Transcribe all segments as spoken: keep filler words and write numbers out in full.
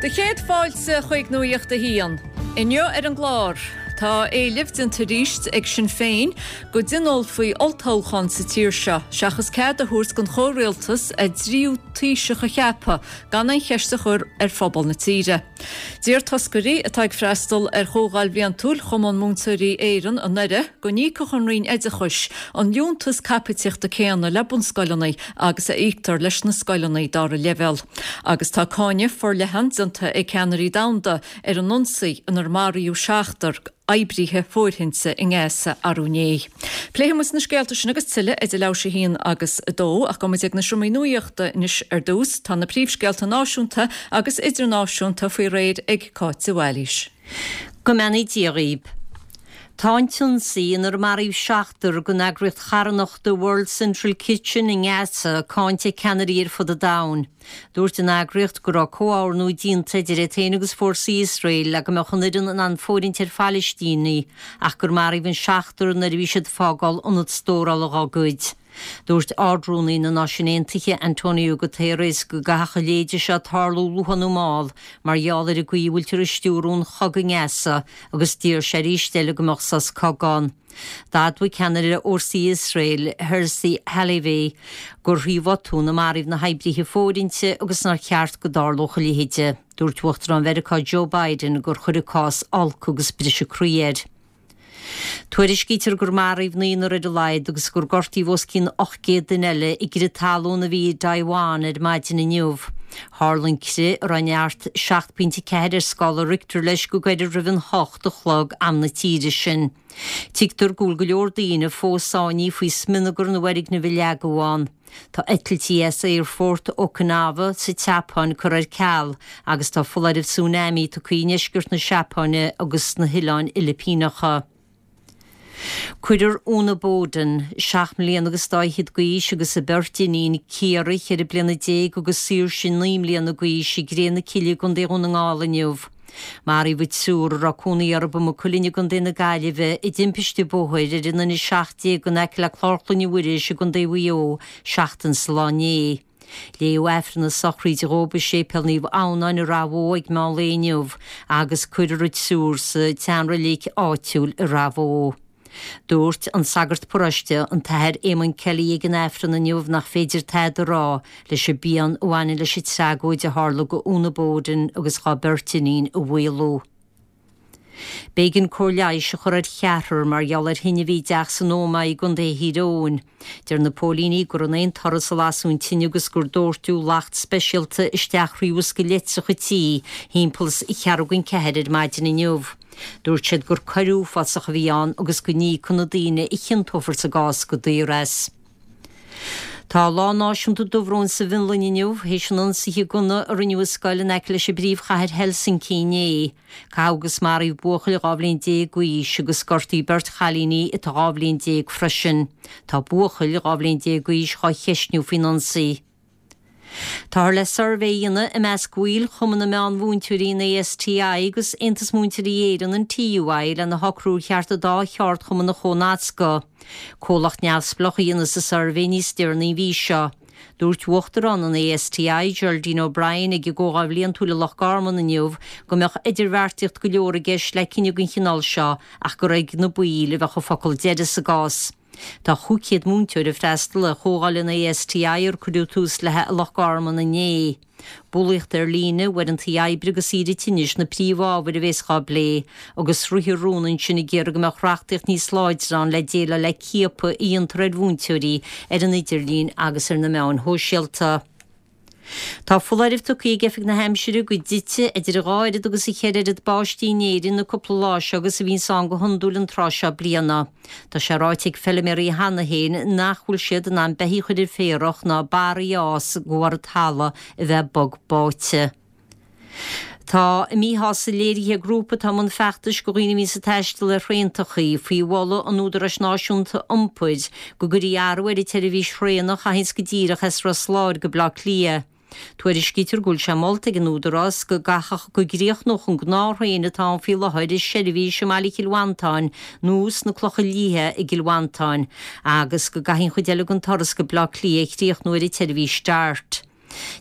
Do chéad fáilte chuig Nuacht a hAon. Inniu ar an gclár, Tá éileamh déanta arís ag Sinn Féin go dtionólfaí olltoghchán sa tír seo, seachas cead a thabhairt don chomhrialtas a dtríú taoiseach a cheapadh gan an cheist a chur ar phobal na tíre. Deir toscairí atá ag freastal ar chomhdháil bhliantúil Chumann Múinteoirí Éireann anuraidh go n-íocfadh an Roinn Oideachais an liúntas caipitíochta céanna le bunscoileanna agus a íoctar leis na scoileanna dara leibhéal. Agus tá cáineadh forleathan déanta ag ceannairí domhanda ar an ionsaí inar maraíodh seachtar oibrithe fóirithinte i nGaza arú inné. Pléifidh na scéalta sin agus tuilleadh idir leathuair tar éis a haon agus a dó ach gabhfaidh muid ag na seomraí nuachta anois ar dtús tá na príomhscéalta náisiúnta agus idirnáisiúnta faoi réir ag Cáit de Bhailís. Go mbeannaí Dia dhaoibh. Tá an t-ionsaí inar maraíodh seachtar den eagraíocht charthanachta World Central Kitchen i nGaza cáinte ag ceannairí ar fud an domhain. Dúirt an eagraíocht go raibh comhordú déanta idir iad féin agus fórsaí Iosrael le go mbeadh an fhoireann in ann fóirithint ar Phalaistínigh ach gur maraíodh an seachtar nuair a bhí siad ag fágáil ionad stórála dá gcuid. Dúirt Ard-Rúnaí na Náisiún Aontaithe Antonio Guterres go gcaithfeadh a leithéid seo tarlú luath nó mall mar gheall ar an gcaoi a bhfuiltear ag stiúradh an chogaidh i nGaza agus d'iarr sé arís eile go mbeadh sos cogaidh ann. D'admhaigh ceannaire fhórsaí Iosrael Herzi Halevi gur thrí bhotún a maraíodh na hoibrithe fóirithinte agus nár cheart go dtarlódh a leithéid. Dúirt Uachtarán Mheiriceá Joe Biden gur chuir an cás olc agus briseadh croí air. Tuairiscítear gur maraíodh naonúr ar a laghad agus gur gortaíodh os cionn ocht gcéad duine eile i gcrith talún a bhí i dTaiwan ar maidin inniu. Tharla an crith a raibh neart seacht bpointe ceathair ar scála Richter leis go gairid roimh an hocht a chlog am na tíre sin. Tuigtear go bhfuil go leor daoine fós sáinnithe faoi smionagar na bhfoirgneamh a leagadh ann. Tá eitiltí as aerfort Okinawa sa tSeapáin curtha ar ceal agus tá foláireamh tsunami tugtha i ndeisceart na Seapáine agus sna hOileáin Fhilipíneacha. Cuirfear Úna Bowden, seacht mbliana agus dá fhichead d'aois agus a beirt iníon Ciara ceithre bliana déag agus Saoirse naoi mbliana d'aois i gcré na cille i gContae Dhún na nGall inniu. Maraíodh an triúr a raibh cónaí orthu i Maigh Cuilinn i gContae na Gaillimhe i dtimpiste bóthair ar an N a seacht déag in aice le Clár Chloinne Mhuiris i gContae Mhaigh Eo seachtain sa lá inné. Léadh Aifreann na sochraide dhóibh i Séipéal Naomh Adhamhnáin i Rath Bhoth ag meán lae inniu agus cuirfear an triúr sa tseanreilig áitiúil i Rath Bhoth. Dúirt an sagart paróiste an tAthair Eamon Kelly ag an Aifreann inniu nach féidir tada a rá leis an bpian a bhaineann leis an tragóid a tharla go Úna Bowden agus dá beirt iníon a mhaolú. B'éigean cóir leighis a chur ar cheathrar mar gheall ar thine a bhí i dteach san Ómaigh i gContae Thír Eoghain. Deir na póilíní gur in aon turas a lasadh an tine agus gur dóirteadh lacht speisialta isteach thrí bhosca leictreach an tí thimpeall is ceathrú don ceathair ar maidin inniu. Dúirt siad gur coir uafásach a bhí ann agus go n-íocfaidh na daoine a chiontófar sa gcás go daor as. Tá lá náisiúnta dubhróin sa bhFionlainn inniu, théis an ionsaithe gunna a rinneadh i scoil in aice leis an bpríomhchathair Helsinki inné. Caitheadh agus maraíodh buachaill dhá bhliain déag d'aois agus gortaíodh beirt chailíní atá dhá bhliain déag freisin. Tá buachaill dhá bhliain déag d'aois dhá cheistniú faoin ionsaí. Táthar le suirbhé a dhéanamh i measc bhaill Chumann na Meán-Mhúinteoirí an ASTI agus Aontas Múinteoirí Éireann an TUI lena shocrú ar cheart an dá cheardchumann a chomhnascadh. Comhlacht neamhspleách a dhéanfas an suirbhé níos deireanaí an mhí seo. Dúirt Uachtarán an ASTI, Geraldine O'Brien, ag an gcomhdháil bhliantúil i Loch Garman inniu go mbeadh idirbheartaíocht go leor i gceist le cinneadh den chineál seo ach gur ag na baill a bheadh an focal deiridh sa gcás. Tá chúig chéad múinteoir ag freastal ar chomhdháil an ASTI ar cuireadh tús léi i Loch Garman inné. Bulaíocht ar líne, uaireanta oibre agus saoire tinnis na príomhábhair a bheas á bplé, agus ritheadh rún ansin ag iarraidh go mbeadh reachtaíocht níos láidre ann le déileáil le ciapadh a dhéantar ar mhúinteoirí ar an idirlíon agus ar na meáin shóisialta. Tá foláireamh tugtha ag Oifig na hAimsire go dtitfidh idir dhá oiread agus a cheithre oiread báistí in Éirinn na cúpla lá seo agus a bhíonns ann go hiondúil an tráth seo bliana. Tá sé ráite ag feiliméaraí cheana féin nach bhfuil siad in ann beithígh a chur ar féarach ná barraí a fhás de bharr an talamh a bheith bog báite. Tá a míshásamh léirithe ag grúpa atá i mbun feachtais do dhaoine a bhíonns ag taisteal ar thraentachaí faoi mholadh an Údaráis Náisiúnta Iompair go gcuirfí athrú ar an tseirbhís thraenach a théanns go díreach as Ros Láir go Baile Átha Cliath. Tuairiscítear go bhfuil sé molta ag an Údarás go gcaithfeadh go gcríochnódh an gnáth-thraein atá ann faoi láthair a seirbhís i mbaile Chill Mhantáin nó sna Clocha Liatha i gCill Mhantáin agus go gcaithfidh an chuid eile den turas go Baile Átha Cliath a chríochnú ar an tseirbhís Dart.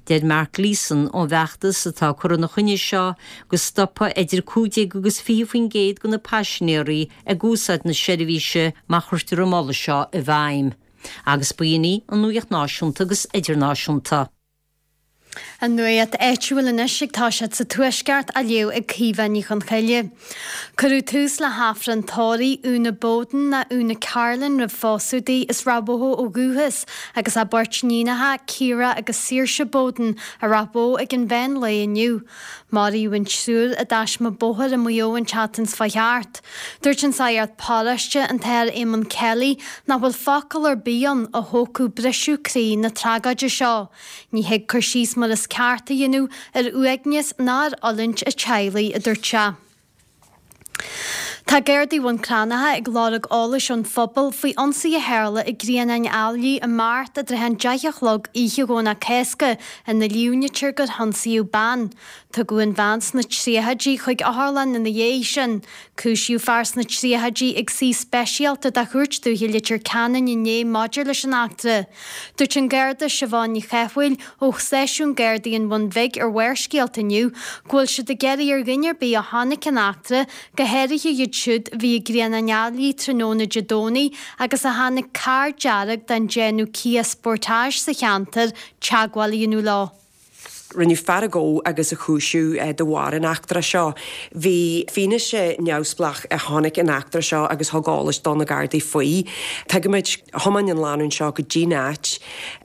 Deir Mark Gleeson ón bhfeachtas atá ag cur ina choinne seo go stopfaidh idir cúig déag agus fiche faoin gcéad de na paisinéirí ag úsáid na seirbhíse má chuirtear an moladh seo i bhfeidhm. Agus b'in í an nuacht náisiúnta agus idirnáisiúnta. An nuacht áitiúil anois ag toiseacht sa Tuaisceart á léamh ag Caoimhe Ní Chonchoille. Cuireadh tús le hAifreann tórraimh Úna Bowden nó Úna Carlin roimh phósadh di as Ráth Bhoth ó dhúchas agus a beirt níonacha Ciara agus Saoirse Bowden i Ráth Bhoth ag an mheán lae inniu. Maraíodh an triúr i dtaisme bóthair i Maigh Eo an tseachtain seo thart. Dúirt an sagart paróiste an tAthair Éamonn Kelly nach bhfuil focal ar bith ann a thógfadh briseadh croí na tragóide seo. Ní thig cur síos mar is ceart a dhéanamh ar uaigneas ná ar fhulaingt a teaghlaigh, a dúirt sé. Tá Gardaí Bhun Cranncha ag lorg eolais ón phobal faoi ionsaí a tharla i gCrianán Ailí i Mart i dtrátha an deich a chlog oíche Dhomhnach Cásca ina líomhnaítear gur hionsaíodh bean. Tugadh an bhean sna tríochaidí chuig otharlann ina dhiaidh sin. Cúisíodh fear sna tríochaidí ag suí speisialta de Chúirt Dúiche Leitir Ceanainn inné maidir leis an eachtra. Dúirt an Garda Siobhán Ní Chathmhaoil ó Stáisiún Gardaí an Bhun Bhig ar Bharrscéalta inniu go bhfuil siad ag iarraidh ar dhuine ar bith a chonaic an eachtra, go háirithe iad siúd a bhí i gCrianán Ailí tráthnóna Dé Domhnaigh agus a chonaic carr dearg den déanamh Kia Sportage sa cheantar, teagmháil a dhéanamh leo. Rinneadh fear a ghabh agus a chúisiú de bharr an eachtra seo. Bhí fianaise neamhspleách a chonaic an eachtra seo agus thug eolas do na Gardaí faoi. Tuigimid, thiomáin an lánúin seo go dtí'n áit,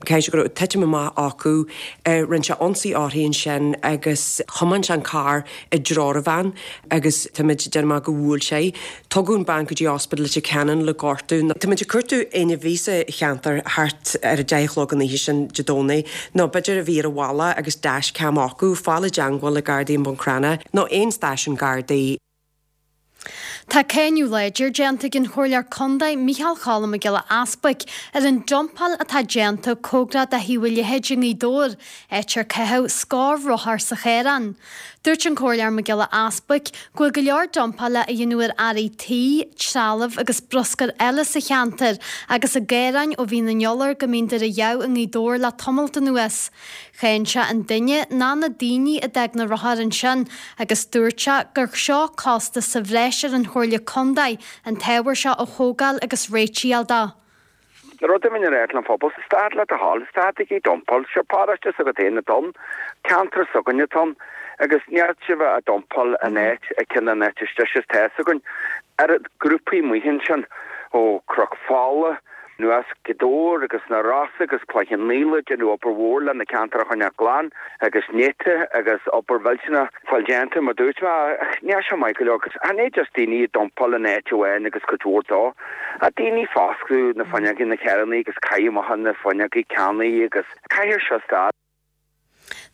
caithfidh sé go raibh titim amach acu, rinne sé ionsaí uirthi ansin agus thiomáin sé an carr i dtreo na bhean agus táimid ag déanamh amach go bhuail sé í. Tugadh an bean go dtí Ospidéal Leitir Ceanainn le gortú. Táimid ag cuartú éinne a bhí sa cheantar thart ar a deich a chlog an oíche sin Dé Domhnaigh nó b'fhéidir a bhí ar an bhaile agus dashcam acu, fáil i dteangmháil le Gardaí i mBun Cranncha nó aon stáisiún Gardaí. Tá cáineadh láidir déanta ag an Chomhairleoir Contae Micheál Cholm Mac Giolla Easbuic ar an dumpáil atá déanta cóngarach do Thaobh an Leithéid i nGaoth Dobhair, áit ar caitheadh scór rothar sa chaorán. Dúirt an Comhairleoir Mac Giolla Easbuic go bhfuil go leor dumpála a dhéanamh ar earraí tí, trealamh agus bruscar eile sa cheantar agus i gcaoráin ó mhí na Nollag go mí an Deireadh i nGaoth Dobhair le tamalt anuas. Cháin sé an duine ná na daoine a d'fhág na rothair ansin agus dúirt sé gur seo costas sa bhreis ar an Chomhairle Contae an t-ábhar seo a thógáil agus réitigh a fháil dó. Rud a bhíonn ar an phobal, stad le do thoil, stadaigí dumpáil, seo paróiste s'agat féin atá ann, ceantar s'againne atá ann, agus níl sibh a dumpáil in áit, ag ceann an áit istigh is tá fhios againn, oiread grúpaí amuigh ansin, ó Chnoc Fola, anuas Gaoth Dobhair agus na Rosa agus Cloich Cheann Fhaola ag déanamh obair mhór le na ceantair a choinneáil glan agus néata agus obair mhillteanach fáil déanta mar dúirt mé ach níl sé maith go leor agus chan é just daoine ag dumpáil in áit amháin agus cuid mhór dó ach daoine ag foscladh na fuinneogaí na carrannaí agus caitheamh amach na fuinneogaí cannaí agus caithfidh seo stad.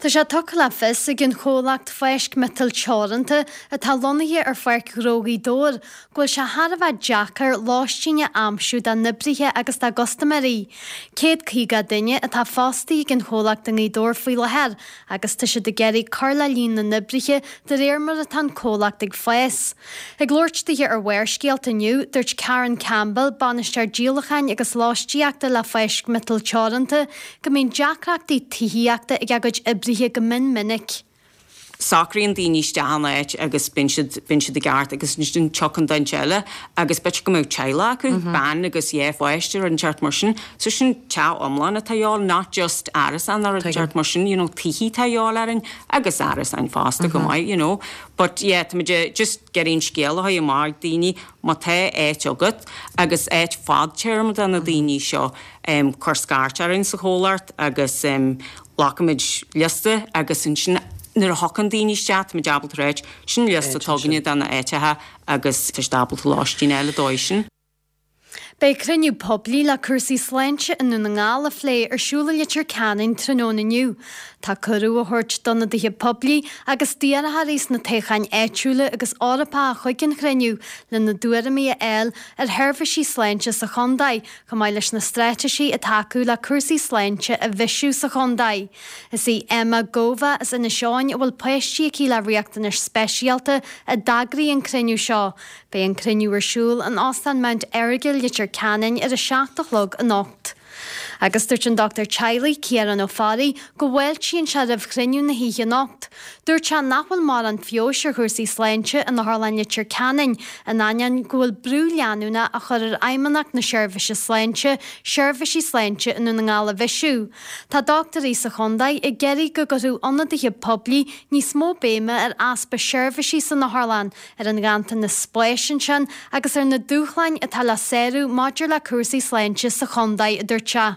Tá sé tugtha le fios ag an chomhlacht Fáisc Miotail Teoranta atá lonnaithe ar Pháirc Ghnó Ghaoth Dobhair go bhfuil sé thar a bheith deacair lóistín a aimsiú dá n-oibrithe agus dá gcustaiméirí. Céad caoga duine atá fostaithe ag an chomhlacht i nGaoth Dobhair faoi láthair agus tá siad ag iarraidh cur le líon na n-oibrithe de réir mar atá an comhlacht ag fás. Ag labhairt dithe ar Bharrscéalta inniu, dúirt Karen Campbell, bainisteoir díolacháin agus lóistíochta le Fáisc Miotail Teoranta, go mbíonn deacrachtaí tithíochta ag a gcuid oibrithe go mion minic. Socraíonn daoine isteach in áit agus bíonn siad bíonn siad i gceart agus ansin tiocfaidh duine eile agus b'fhéidir go mbeadh teaghlach acu, bean agus dhá pháiste rud inteacht mar sin. So sin teach iomlán atá a dhíobháil, not just árasán nó rud inteacht mar sin, you know, tithe atá a dhíobháil orainn agus árasáin fosta go maith, you know. But yeah, táimid just ag iarraidh an scéal a chur amach ag daoine má tá áit agat agus áit fadtéarma do na daoine seo, um, cuir scairt orainn sa chomhlacht agus um, glacfaimid liosta agus ansin nuair a thiocfaidh daoine isteach táimid ábalta a ráit sin liosta atá againne de na áiteacha agus tá siad ábalta lóistín eile dóibh sin. Beidh cruinniú poiblí le cúrsaí sláinte i nDún na nGall a phlé ar siúl i Leitir Ceanainn tráthnóna inniu. Tá cuireadh á thabhairt d'ionadaithe poiblí agus d'iarrthóirí sna toghcháin áitiúla agus Eorpacha chuig an chruinniú lena dtuairimí a fháil ar sheirbhísí sláinte sa chontae, chomh maith leis na straitéisí atá acu le cúrsaí sláinte a bhisiú sa chontae. Is í Emma Gova as Inis Eoghain a bhfuil páistí aici le riachtanais speisialta a d'eagraigh an cruinniú seo. Beidh an cruinniú ar siúl in Óstán Mount Errigal Leitir Ceanainn ar a seacht a chlog anocht. Agus dúirt an dochtúir teaghlaigh Ciarán Ó Fearraigh go bhfáiltíonn sé roimh chruinniú na hoíche anocht. Dúirt sé nach bhfuil mórán feabhais ar chúrsaí sláinte in Otharlann Leitir Ceanainn, in ainneoin go bhfuil brú leanúnach á chur ar Fheidhmeannacht na Seirbhíse Sláinte seirbhísí sláinte i nDún na nGall a bhisiú. Tá dochtúirí sa chontae ag iarraidh go gcuirfeadh ionadaithe poiblí níos mó béime ar easpa seirbhísí san otharlann, ar an ghanntanas spáis ansin agus ar na dúshláin atá le sárú maidir le cúrsaí sláinte sa chontae, a dúirt sé.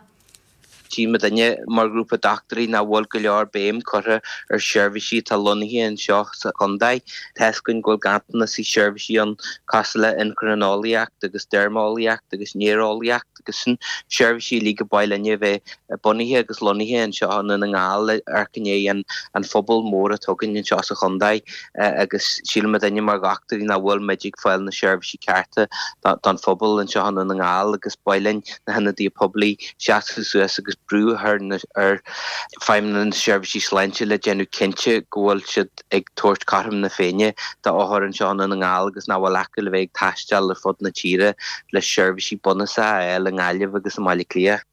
Tchí muidinne mar ghrúpa dochtúirí nach bhfuil go leor béim curtha ar seirbhísí atá lonnaithe anseo sa chontae. Tá's againn go bhfuil ganntanas i seirbhísí ann cosúil le inchrineolaíocht agus deirmeolaíocht agus néareolaíocht agus sin seirbhísí uilig a ba mhaith linne a bheith bunaithe agus lonnaithe anseo i nDún na nGall le amharc i ndiaidh an an phobal mór atá againn anseo sa chontae agus síleann muidinne mar dhochtúirí nach bhfuil muid ag fáil na seirbhísí cearta don phobal anseo i Ndún na nGall agus ba mhaith linn na hionadaithe poiblí seasamh suas agus brú a chur ar Feidhmeannacht na Seirbhísí Sláinte le déanamh cinnte go bhfuil siad ag tabhairt cothrom na Féinne d'othair anseo i nDún na nGall agus nach bhfuil acu le bheith ag taisteal ar fud na tíre le seirbhísí bunúsacha a fháil i nGaillimh agus i mBaile Átha Cliath.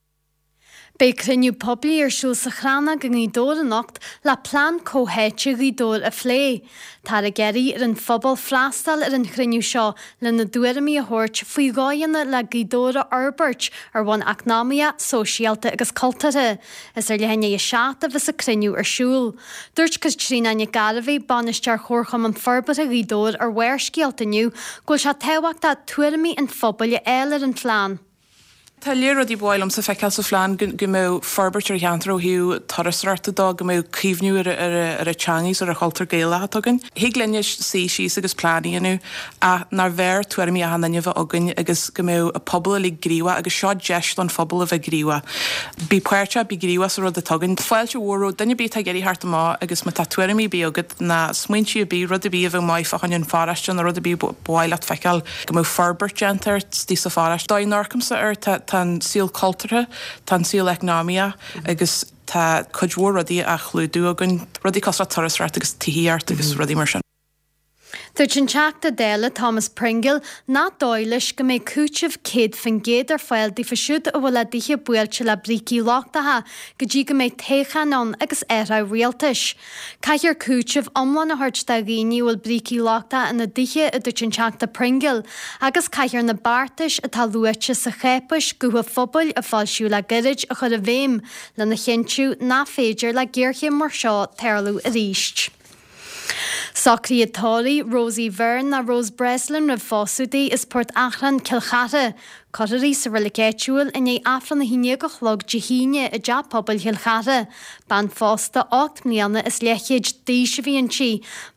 Beidh cruinniú poiblí ar siúl sa Chrannóg i nGaoth Dobhair anocht le plean comhtháite Ghaoth Dobhair a phlé. Táthar ag iarraidh ar an phobal freastal ar an chruinniú seo lena dtuairimí a thabhairt faoi dhóigheanna le Gaoth Dobhair a fhorbairt ar bhonn eacnamaíoch, sóisialta agus cultúrtha. Is ar leath i ndiaidh a seacht a bheas an cruinniú ar siúl. Dúirt Caitríona Nic Gairbheith, Bainisteoir Chomharchumann Forbartha Ghaoth Dobhair ar Bharrscéalta inniu go bhfuil sé tábhachtach tuairimí an phobail a fháil ar an phlean. Tá lear rudaí ba mhaith liomsa feiceáil sa phlean, go mbeadh forbairt ar cheantar ó thaobh turasóireachta dó, go mbeadh caomhnú ar ar an teanga is ar an chultúr Gaelach atá againn. Thig linne suí síos agus plean a dhéanamh ach nár bhfearr tuairimí achan duine a bheith againn agus go mbeadh an pobal uilig gníomhach agus seo deis don phobal a bheith gníomhach. Bí páirteach, bí gníomhach sa rud atá againn. Fáilte mhór roimh duine ar bith atá ag iarraidh theacht amach agus má tá tuairimí ar bith agat ná smaointe ar bith, rud ar bith a bheadh maith fá choinne an pharóiste nó rud ar bith ba mhaith leat feiceáil go mbeadh forbairt déanta air istigh sa pharóiste. Dóigh a n-amharcaimse air tá tá an saol cultúrtha, tá an saol eacnamaíoch agus tá cuid mhór rudaí á chlúdú againn, rudaí cosúil le turasóireacht agus tithíocht agus rudaí mar sin. Dúirt an Teachta Dála Thomas Pringle nach dóigh leis go mbeidh cúiteamh céad faoin gcéad ar fáil daofa siúd a bhfuil a dtithe buailte le brící lochtacha go dtí go mbeidh toghchán ann agus athrú rialtais. Caithfear cúiteamh iomlán a thabhairt do dhaoine a bhfuil brící lochtacha ina dtithe, a dúirt an Teachta Pringle, agus caithfear na beartais atá luaite sa cháipéis Guth an Phobail a foilsíodh le gairid a chur i bhfeidhm lena chinntiú nach féidir le géarchéim mar seo tarlú arís. Socruithe tórraimh Rosie Byrne ná Rose Breslin roimh phósadh di as Port Achrann, Cill Chartha. Cuirfear í sa reilig áitiúil i ndiaidh Aifreann a haon déag a chlog Dé hAoine i dTeach Pobail Chill Chartha. Bean phósta ocht mbliana is leathchéad d'aois a bhí inti.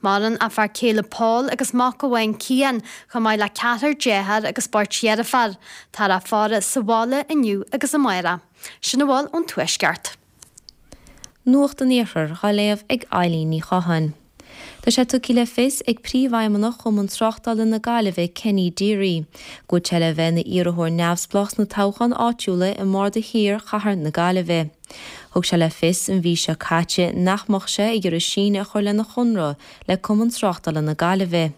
Maireann a fear céile Paul agus mac amháin Cian, chomh maith le ceathrar dearthár agus beirt dheirféar. Táthar á faire sa bhaile inniu agus amárach. Sin a bhfuil ón Tuaisceart. Nuacht an Iarthair á léamh ag Eileen Ní Chatháin. Tá sé tugtha le fios ag Príomhfheidhmeannach Chumann Tráchtála na Gaillimhe, Kenny Deery, go bhfuil sé le bheith ina iarrthóir neamhspleách sna toghcháin áitiúla i mBarda Thiar Chathair na Gaillimhe. Thug sé le fios an mhí seo caite nach mbeadh sé ag iarraidh síneadh a chur lena chonradh le Cumann Tráchtála na Gaillimhe.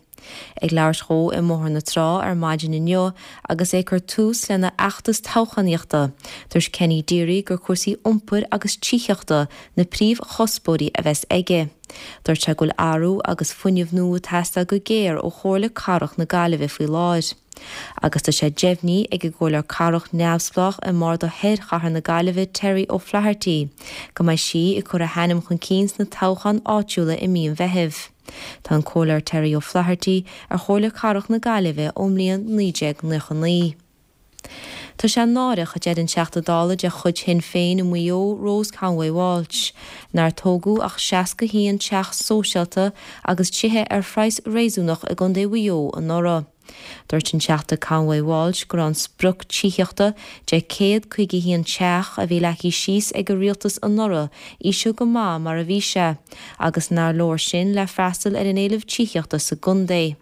Ag labhairt dhó i mBóthar na Trá ar maidin inniu agus é ag cur tús lena fheachtas toghchánaíochta, dúirt Kenny Deery gur cúrsaí iompair agus tithíochta na príomhchuspóirí a bheas aige. Dúirt sé go bhfuil athrú agus fuinneamh nua ag teastáil go géar ó Chomhairle Cathrach na Gaillimhe faoi láthair. Agus tá sé deimhnithe ag an gComhairleoir Cathrach neamhspleách i mBarda Thoir Chathair na Gaillimhe Terry O'Flaherty go mbeidh sí ag cur a hainm chun cinn sna toghcháin áitiúla i mí an Mheithimh. Tá an Comhairleoir Terry O'Flaherty ar Chomhairle Cathrach na Gaillimhe ón mbliain naoi déag nócha naoi. Tá sé náireach, a deir an Teachta Dála de chuid Shinn Féin i Maigh Eo, Rose Conway Walsh, nár tógadh ach seasca a haon teach sóisialta agus tithe ar phraghas réasúnach i gContae Mhaigh Eo anuraidh. Dúirt an Teachta Conway Walsh go raibh an sprioc tithíochta de céad caoga a haon teach a bhí leagtha síos ag an rialtas anuraidh íseal go maith mar a bhí sé agus nár leor sin le freastal ar an éileamh tithíochta sa gcontae.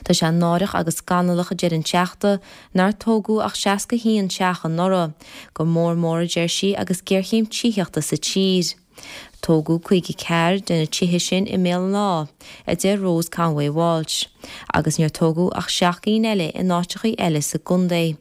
Tá sé náireach agus scannalach, a deir an Teachta, nár tógadh ach seasca a haon teach anuraidh, go mór mór, a deir sí, agus géarchéim tithíochta sa tír. Tógadh caoga a ceathair de na tithe sin i mBéal an Átha, a deir Rose Conway Walsh, agus níor tógadh ach seacht gcinn eile in áiteachaí eile sa gcontae.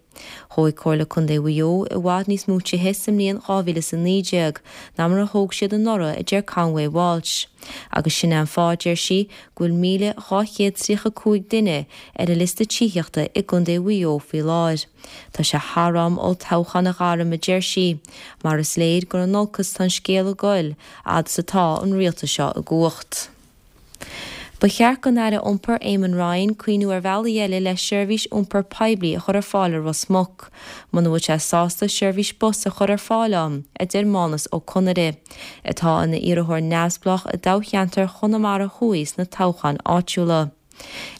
Thóg Comhairle Contae Mhaigh Eo i bhfad níos mó tithe sa mbliain dhá mhíle is a naoi déag ná mar a thóg siad anuraidh, a deir Conway Walsh. Agus sin é an fáth, deir sí, go bhfuil míle dhá chéad tríocha cúig duine ar an liosta tithíochta i gContae Mhaigh Eo faoi láthair. Tá sé thar am olltoghchán a ghairm, a deir sí, mar is léir gur in olcas atá an scéal ag goil fhad is atá an rialtas seo i gcumhacht. Ba cheart don Aire Iompair Eamon Ryan cuimhniú ar bhealaí eile le seirbhís iompair poiblí a chur ar fáil i Ros Muc, muna bhfuil sé sásta seirbhís bus a chur ar fáil ann, a deir Mánas Ó Conaire, atá ina iarrthóir neamhspleách i dtoghcheantar Chonamara Thuaidh sna toghcháin áitiúla.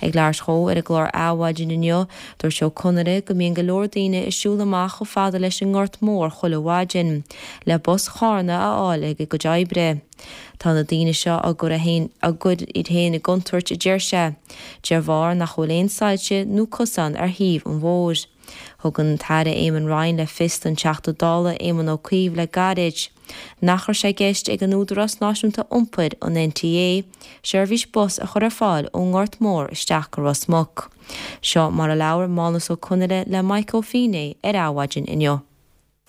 Ag labhairt dhó ar an gclár Adhmhaidin inniu, dúirt Ó Conaire go mbíonn go leor daoine ag siúl amach chomh fada leis an nGort Mór chuile mhaidin le bus Chárna a fháil ag a gcuid oibre. Tá na daoine seo á gcur á gcur iad féin i gcontúirt, a deir sé, de bharr nach bhfuil aon soilse nó cosán ar thaobh an bhóthair. Thug an tAire Eamon Ryan le fios don Teachta Dála Éamon Ó Cuív le gairid nach raibh sé i gceist ag an Údarás Náisiúnta Iompair, an N T A, seirbhís bus a chur ar fáil ón nGort Mór isteach go Ros Muc. Seo mar a labhair Mánas Ó Conaire le Mike Ó Fínné ar Adhmhaidin inniu.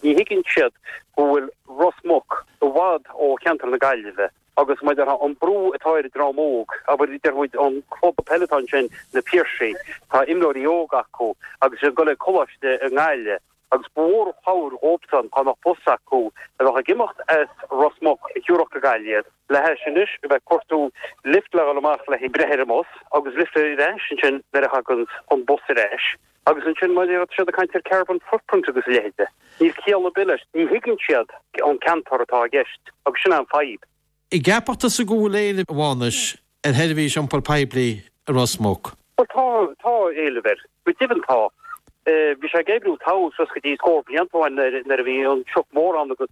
Ní thuigeann siad go bhfuil Ros Muc i bhfad ó cheantar na Gaillimhe agus mar an brú atá ar an dream óg, abair deir muid an club peile atá ansin, Na Piarsaigh, tá imreoirí óga acu agus siad ag dul ag coláiste i nGaillimh agus ba mhór an chabhair dhóibhsan dá mbeadh bus acu a bheadh ag imeacht as Ros Muc a thiúrfadh go Gaillimh iad, le hais anois a bheith ag cuartú lift le dhul amach le breith ar an mbus agus lift ar ais ansin nuair a thagann an bus ar ais. Agus ansin mar tá siad ag caint ar carbon footprint agus a leithéide. Níl ciall ar bith leis. Ní thuigeann siad an ceantar atá i gceist agus sin an fadhb. An gceapann tusa go bhfuil éileamh, a Mhánais, ar sheirbhís iompair poiblí i Ros Muc? Bhuel tá, tá éileamh air. Go deimhin tá. Bhí sé ag oibriú togha suas go dtí scór blianta ó shin nuair a bhí an truc mór ann agus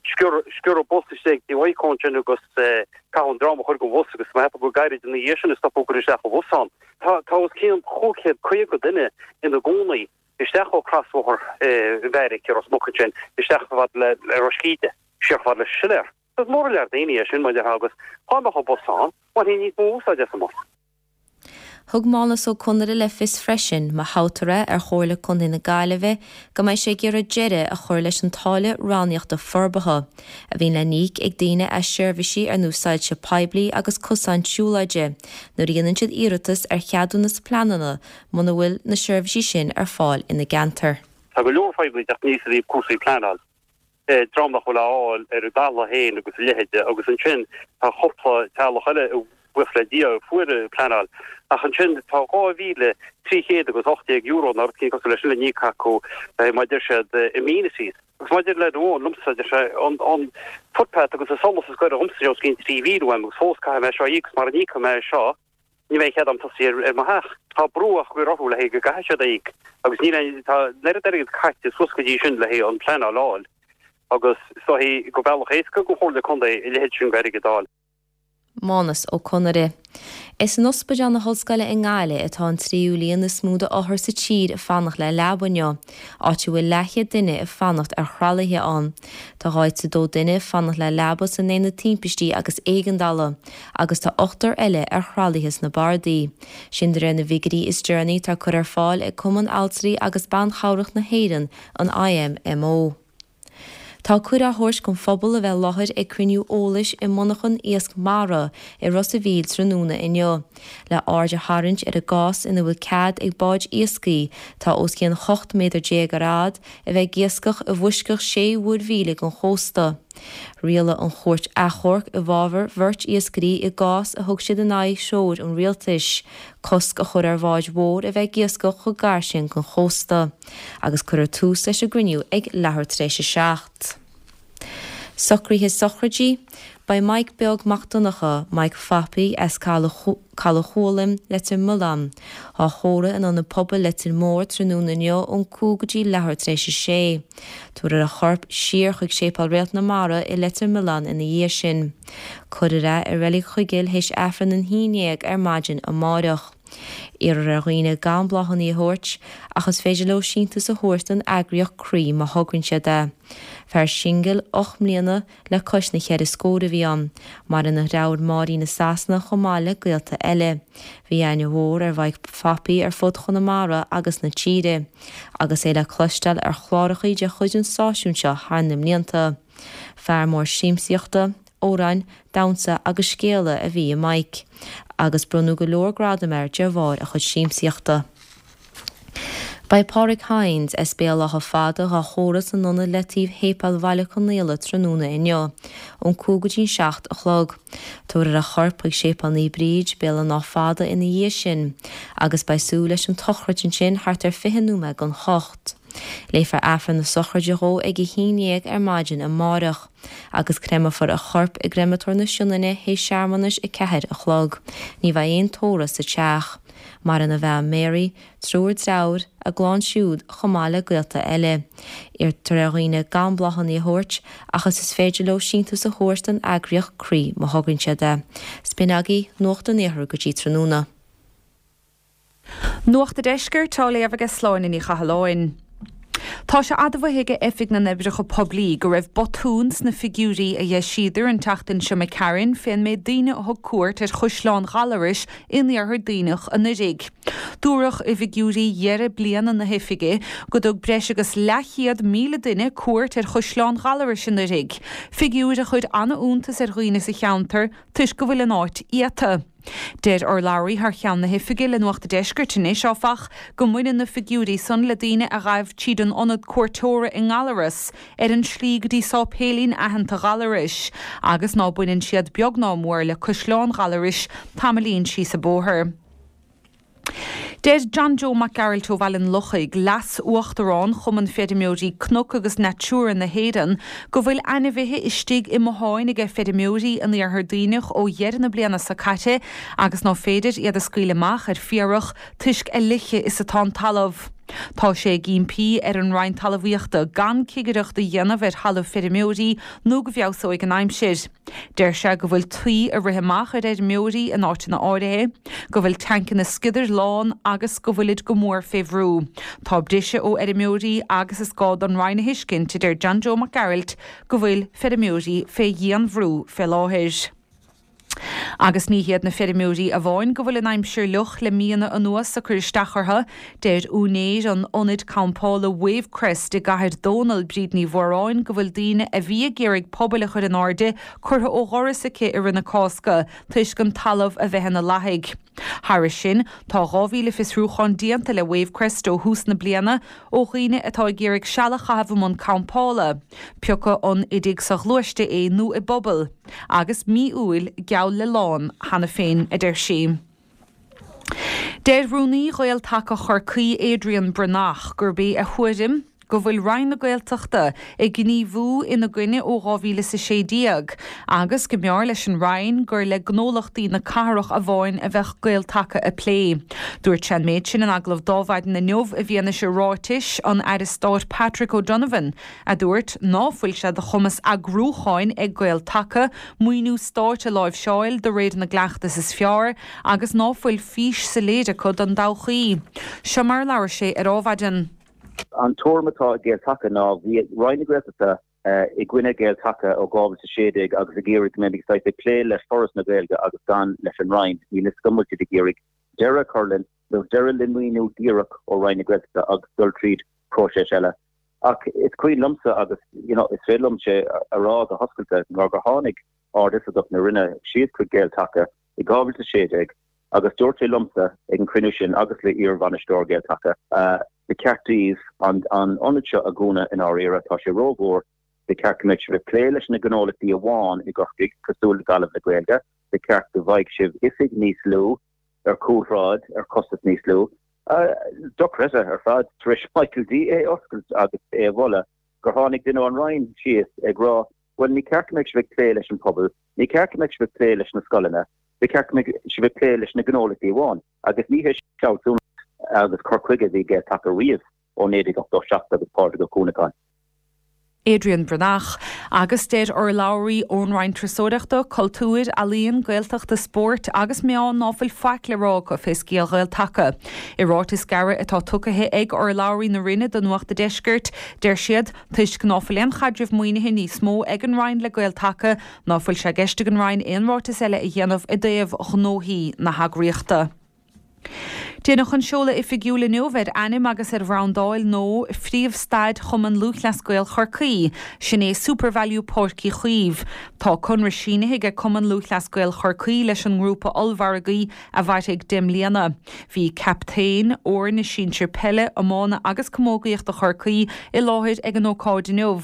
sciorradh bus istigh i bhFaidhcó ansin agus caitheadh an dream a chuir den bhus agus má cheapadh go gairid ina dhiaidh sin a stopadh cur isteach an bhus ann. Tá tá os cionn chúig chéad caoga duine ina gcónaí isteach ó chrosbhóthar an Bheairic i Ros Muc ansin isteach chomh fada le Ros Cíde, siar chomh fada leis an Siléar. Is mór an lear daoine é sin mar a déarfá agus dá mbeadh an bus ann, bhainfí níos mó úsáid as an mbus. Thug Mánas Ó Conaire le fios freisin, má thoghtar é ar Chomhairle Contae na Gaillimhe, go mbeidh sé ag iarraidh deireadh a chur leis an táille rannaíochta forbartha, a bhíonn le n-íoc ag daoine as seirbhísí ar nós soilse poiblí agus cosáin siúlóide, nuair a dhéanann siad iarratas ar cheadúnas pleanála muna bhfuil na seirbhísí sin ar fáil ina gceantar. Tá go leor fadhbanna ag teacht aníos i dtaobh cúrsaí pleanáil. Dream nach bhfuil á fháil ar a dtalamh féin agus a leithéide agus ansin tá cúpla teaghlach eile buíochas le Dia a fuair pleanáil ach ansin tá dhá mhíle trí chéad agus ocht déag euro nó rud éicint cosúil leis sin le n-íoc acu mar deir siad amenities. Agus maidir le do liomsa deir sé an an footpath agus an solas is gaire dhomsa os cionn trí mhíle uaim agus fós caithfidh mé seo a íoc agus mara n-íocfaidh mé seo ní bheidh cead a'm tosaí ar mo theach. Tá brú á chur orthu le haghaidh go gcaithfidh siad a íoc agus níl aon, tá an oiread airgid caite suas go dtí sin le haghaidh an pleanáil a fháil agus is dóichí gur bealach éasca don Chomhairle Contae a leithéid sin d'airgead a fháil. Mánas Ó Conaire. Is in Ospidéal na hOllscoile i nGaillimh atá an tríú líon is mó d'othair sa tír ag fanacht le leaba inniu, áit a bhfuil leathchéad duine ag fanacht ar thralaithe ann. Tá dhá is a dó duine ag fanacht le leaba san aonad timpistí agus éigeandála, agus tá ochtar eile ar thralaithe sna bardaí. Sin de réir na bhfigiúirí is deireanaí atá curtha ar fáil ag Cumann Altraí agus Ban Chabhrach na hÉireann, an I M M O. Tá cuireadh á thabhairt don phobal a bheith i láthair ag cruinniú eolais i monarchan iasc mara i Ros a' Mhíl tráthnóna inniu, le aird a tharraingt ar an gcás ina bhfuil cead ag báid iascaigh atá os cionn ocht méadar déag ar fhad a bheith ag iascach i bhfoisceacht sé mhuirmhíle den chósta. Rialaigh an chúirt achomhairc i bhfabhar bheirt iascairí i gcás a thug siad in aghaidh threoir an rialtais, cosc a chur ar bháid mhór a bheith ag iascach chomh gar sin den chósta, agus cuirfear tús leis an gcruinniú ag leathuair tar éis a seacht. Socruithe sochraide. Beidh Mike Beag Mac Donncha, Mike Phapaí as Caladh Chualann, Leitir Mealláin, á thórramh in Ionad Pobail Leitir Móir tráthnóna inniu ón cúig go dtí leathuair tar éis a sé. Tabharfar a chorp siar chuig Séipéal Réalt na Mara i Leitir Mealláin ina dhiaidh sin. Cuirfear é i Reilig Chuigéil théis Aifreann an haon déag ar maidin amárach. Iarrthar ar dhaoine gan bláthanna a thabhairt, ach is féidir leo síntiús a thabhairt don eagraíocht Croí má thograíonn siad é. Fear singil ocht mbliana le cois na cheithre scór a bhí ann. Maireann a dheartháir Máirín i Sasana chomh maith le gaolta eile. Bhí aithne mhór ar Mhaidhc Phapaí ar fud Chonamara agus na tíre, agus é le cloisteáil ar chlárachaí de chuid an stáisiúin seo thar na mblianta. Fear mór siamsaíochta, amhráin, damhsa agus scéala a bhí i Mike, agus bronnadh go leor gradam air de bharr a chuid siamsaíochta. Beidh Pádraig Hynes as Béal Átha Fada dhá thórramh san ionad leataoibh Shéipéal Bhaile Conaola tráthnóna inniu, ón cúig go dtí'n seacht a chlog. Tabharfar a chorp chuig Séipéal Naomh Bríd, Béal an Átha Fada ina dhiaidh sin, agus beidh súil leis an tsochraid ansin thart ar fiche nóiméad don hocht. Léifear Aifreann na sochraide dhó ag a haon dhéag ar maidin amáireach, agus créamfar a chorp i gcreamatóir na Sionainne théis searmanais a ceathair a chlog. Ní bheidh aon tórramh sa teach. Maireann a bhean Mary, triúr dearthár, a gclann siúd, chomh maith le gaolta eile. Iarrtar ar dhaoine gan bláthanna a thabhairt, ach is is féidir leo síntiús a thabhairt don eagraíocht Croí má thograíonn siad é. 'S b'in agaibh Nuacht an Iarthair go dtí tráthnóna. Nuacht an Deiscirt á léamh ag Sláine Ní Chathalláin. Tá sé admhaithe ag Oifig na nOibreacha Poiblí go raibh botún sna figiúirí a d'eisíodar an tseachtain seo imigh tharainn fén méid daoine a thug cuairt ar Chaisleán Ghallarais in iarthar Duibhneach anuraidh. Dúradh i bhfigiúirí dheireadh bliana na hoifige go dtug breis agus leathchéad míle duine cuairt ar Chaisleán Ghallarais anuraidh, figiúir a chuir an-iontas ar dhaoine sa cheantar toisc go bhfuil an áit iata. Deir urlabhraí thar cheann na hoifige le Nuacht an Deiscirt anois, áfach, go mbaineann na figiúirí san le daoine a ghaibh tríd an ionad cuairteora i nGallaras ar an slí go dtí sáipéilín aitheanta Ghallarais agus ná baineann siad beag ná mór le Caisleán Ghallarais tamaillín síos an bóthar. Deir John Joe Mac Gearailt ó Bhaile an Lochaigh, Leas-Uachtarán Chumann Feirmeoirí Cnoc agus Natura na hÉireann, go bhfuil ainmhithe istigh i mbotháin aige feirmeoirí in Iarthar Duibhneach ó dheireadh na bliana seo caite agus ná féidir iad a scaoileadh amach ar féarach toisc a fhliche is atá an talamh. Tá sé ag impí ar an Roinn Talmhaíochta gan cigireacht a dhéanamh ar thalamh feirmeoirí nó go bhfeabhsóidh an aimsir. Deir sé go bhfuil tuí ag rith amach ar fheirmeoirí in áiteanna áirithe, go bhfuil tancanna sciodair lán agus go bhfuilid go mór fé bhrú. Tá briseadh ó fheirmeoirí agus is gá don Roinn a thuiscint, a deir John Joe Mac Gearailt, go bhfuil feirmeoirí fé dhianbhrú fé láthair. Agus ní hiad na feirmeoirí amháin go bhfuil an aimsir fhliuch le míonna anuas ag cur isteach orthu. Deir úinéir an ionaid campála Wavecrest i gCathair Dónall, Bríd Ní Mhóráin, go bhfuil daoine a bhí ag iarraidh pubaill a chur in airde curtha ó dhoras aici i rith na Cásca toisc an talamh a bheith ina lathaigh. Thairis sin, tá dhá mhíle fiosrúchán déanta le Wavecrest ó thús na bliana ó dhaoine atá ag iarraidh seal a chaitheamh i mbun campála, pioca an i dtigh soghluaiste é nó i bpuball, agus mí Iúil geall le lán cheana féin, a deir sí. Deir Rúnaí Ghael-Taca Chorcaí Adrian Breathnach gurb é a thuairim go bhfuil Roinn na Gaeltachta ag gníomhú ina gcoinne ó dhá mhíle is a sé déag agus go mb'fhearr leis an Roinn gur le gnólachtaí na cathrach amháin a bheadh Gael-Taca ag plé. Dúirt sé an méid sin in agallamh d'Adhmhaidin inniu i bhfianaise ráitis an Aire Stáit Patrick O'Donovan a dúirt ná fuil sé de chumas eagrúcháin ag Gael-Taca maoiniú stáit a láimhseáil de réir na gcleachtas is fearr agus ná fuil fís soiléir acu don todhchaí. Seo mar a labhair sé ar Adhmhaidin. An tuairim atá ag Gael-Taca ná bhí Roinn na Gaeltachta i gcoinne Gael-Taca ó dhá mhíle is a sé déag agus ag iarraidh go mbeimid saghas ag plé le Foras na Gaeilge agus gan leis an Roinn. Níl fhios agam an bhfuil siad ag iarraidh deireadh a chur linn nó deireadh le maoiniú díreach ó Roinn na Gaeltachta agus dul tríd próiseas eile. Ach is cuimhin liomsa agus you know is féidir liom sé a rá go hoscailte nuair gur tháinig Ard-Oifigeach na Roinne síos chuig Gael-Taca i dhá mhíle is a sé déag agus dúirt sé liomsa ag an chruinniú sin agus le iar-bhainisteoir Gael-Taca, Ba cheart daoibh an ionad seo a dhúnadh i ndáiríre, tá sé rómhór, ba cheart go mbeadh sibh ag plé leis na gnólachtaí amháin i gCorcaigh, cosúil le Gaillimh le Gaeilge, ba cheart go bhfaigheadh sibh oifig níos lú ar chúlshráid ar chostas níos lú. Dochreidte ar fad, tar éis Michael D é a oscailt agus é a mholadh, gur tháinig duine ón Roinn síos ag rá, bhuel ní ceart go mbeadh sibh ag plé leis an pobal, ní ceart go mbeadh sibh ag plé leis na scoileanna, ba cheart go mbeadh sibh ag plé leis na gnólachtaí amháin. Agus ní hé sin fealsúnacht agus cur chuige a bhí ag Gael-Taca riamh ó naoi déag ochtó seacht agus Pádraig Ó Cuanacháin. Adrian Breathnach, agus deir urlabhraí ón Roinn Turasóireachta, Cultúir, Ealaíon, Gaeltachta, Spóirt agus Meán ná fuil faic le rá acu fé scéal Ghael-Taca. I ráiteas gairid atá tugtha ag urlabhraí na Roinne do Nuacht a' Deiscirt, deir siad, toisc ná fuil aon chaidreamh maoinithe níos mó ag an Roinn le Gael-Taca, ná fuil sé i gceist ag an Roinn aon ráiteas eile a dhéanamh i dtaobh ghnóthaí na heagraíochta. Déanadh an seoladh oifigiúil inniu ar ainm agus ar bhrandáil nua phríomhstaid Chumann Lúthchleas Gael Chorcaí, sin é SuperValu Páirc Uí Chaoimh. Tá conradh sínithe ag Cumann Lúthchleas Gael Chorcaí leis an ngrúpa ollmhargaí a mhairfidh deich mbliana. Bhí captaein fhoirne sinsir peile, iomána agus camógaíochta Chorcaí i láthair ag an ócáid inniu.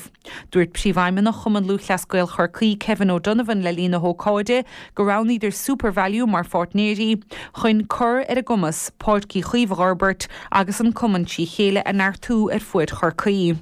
Dúirt Príomhfheidhmeannach Chumann Lúthchleas Gael Chorcaí, Kevin O'Donovan le linn na hócáide gur roghnaíodar SuperValu mar pháirtnéirí chun cur ar a gcumas Páirc Uí Chaoimh a fhorbairt agus an cumann trí chéile a neartú ar fuaid Chorcaí.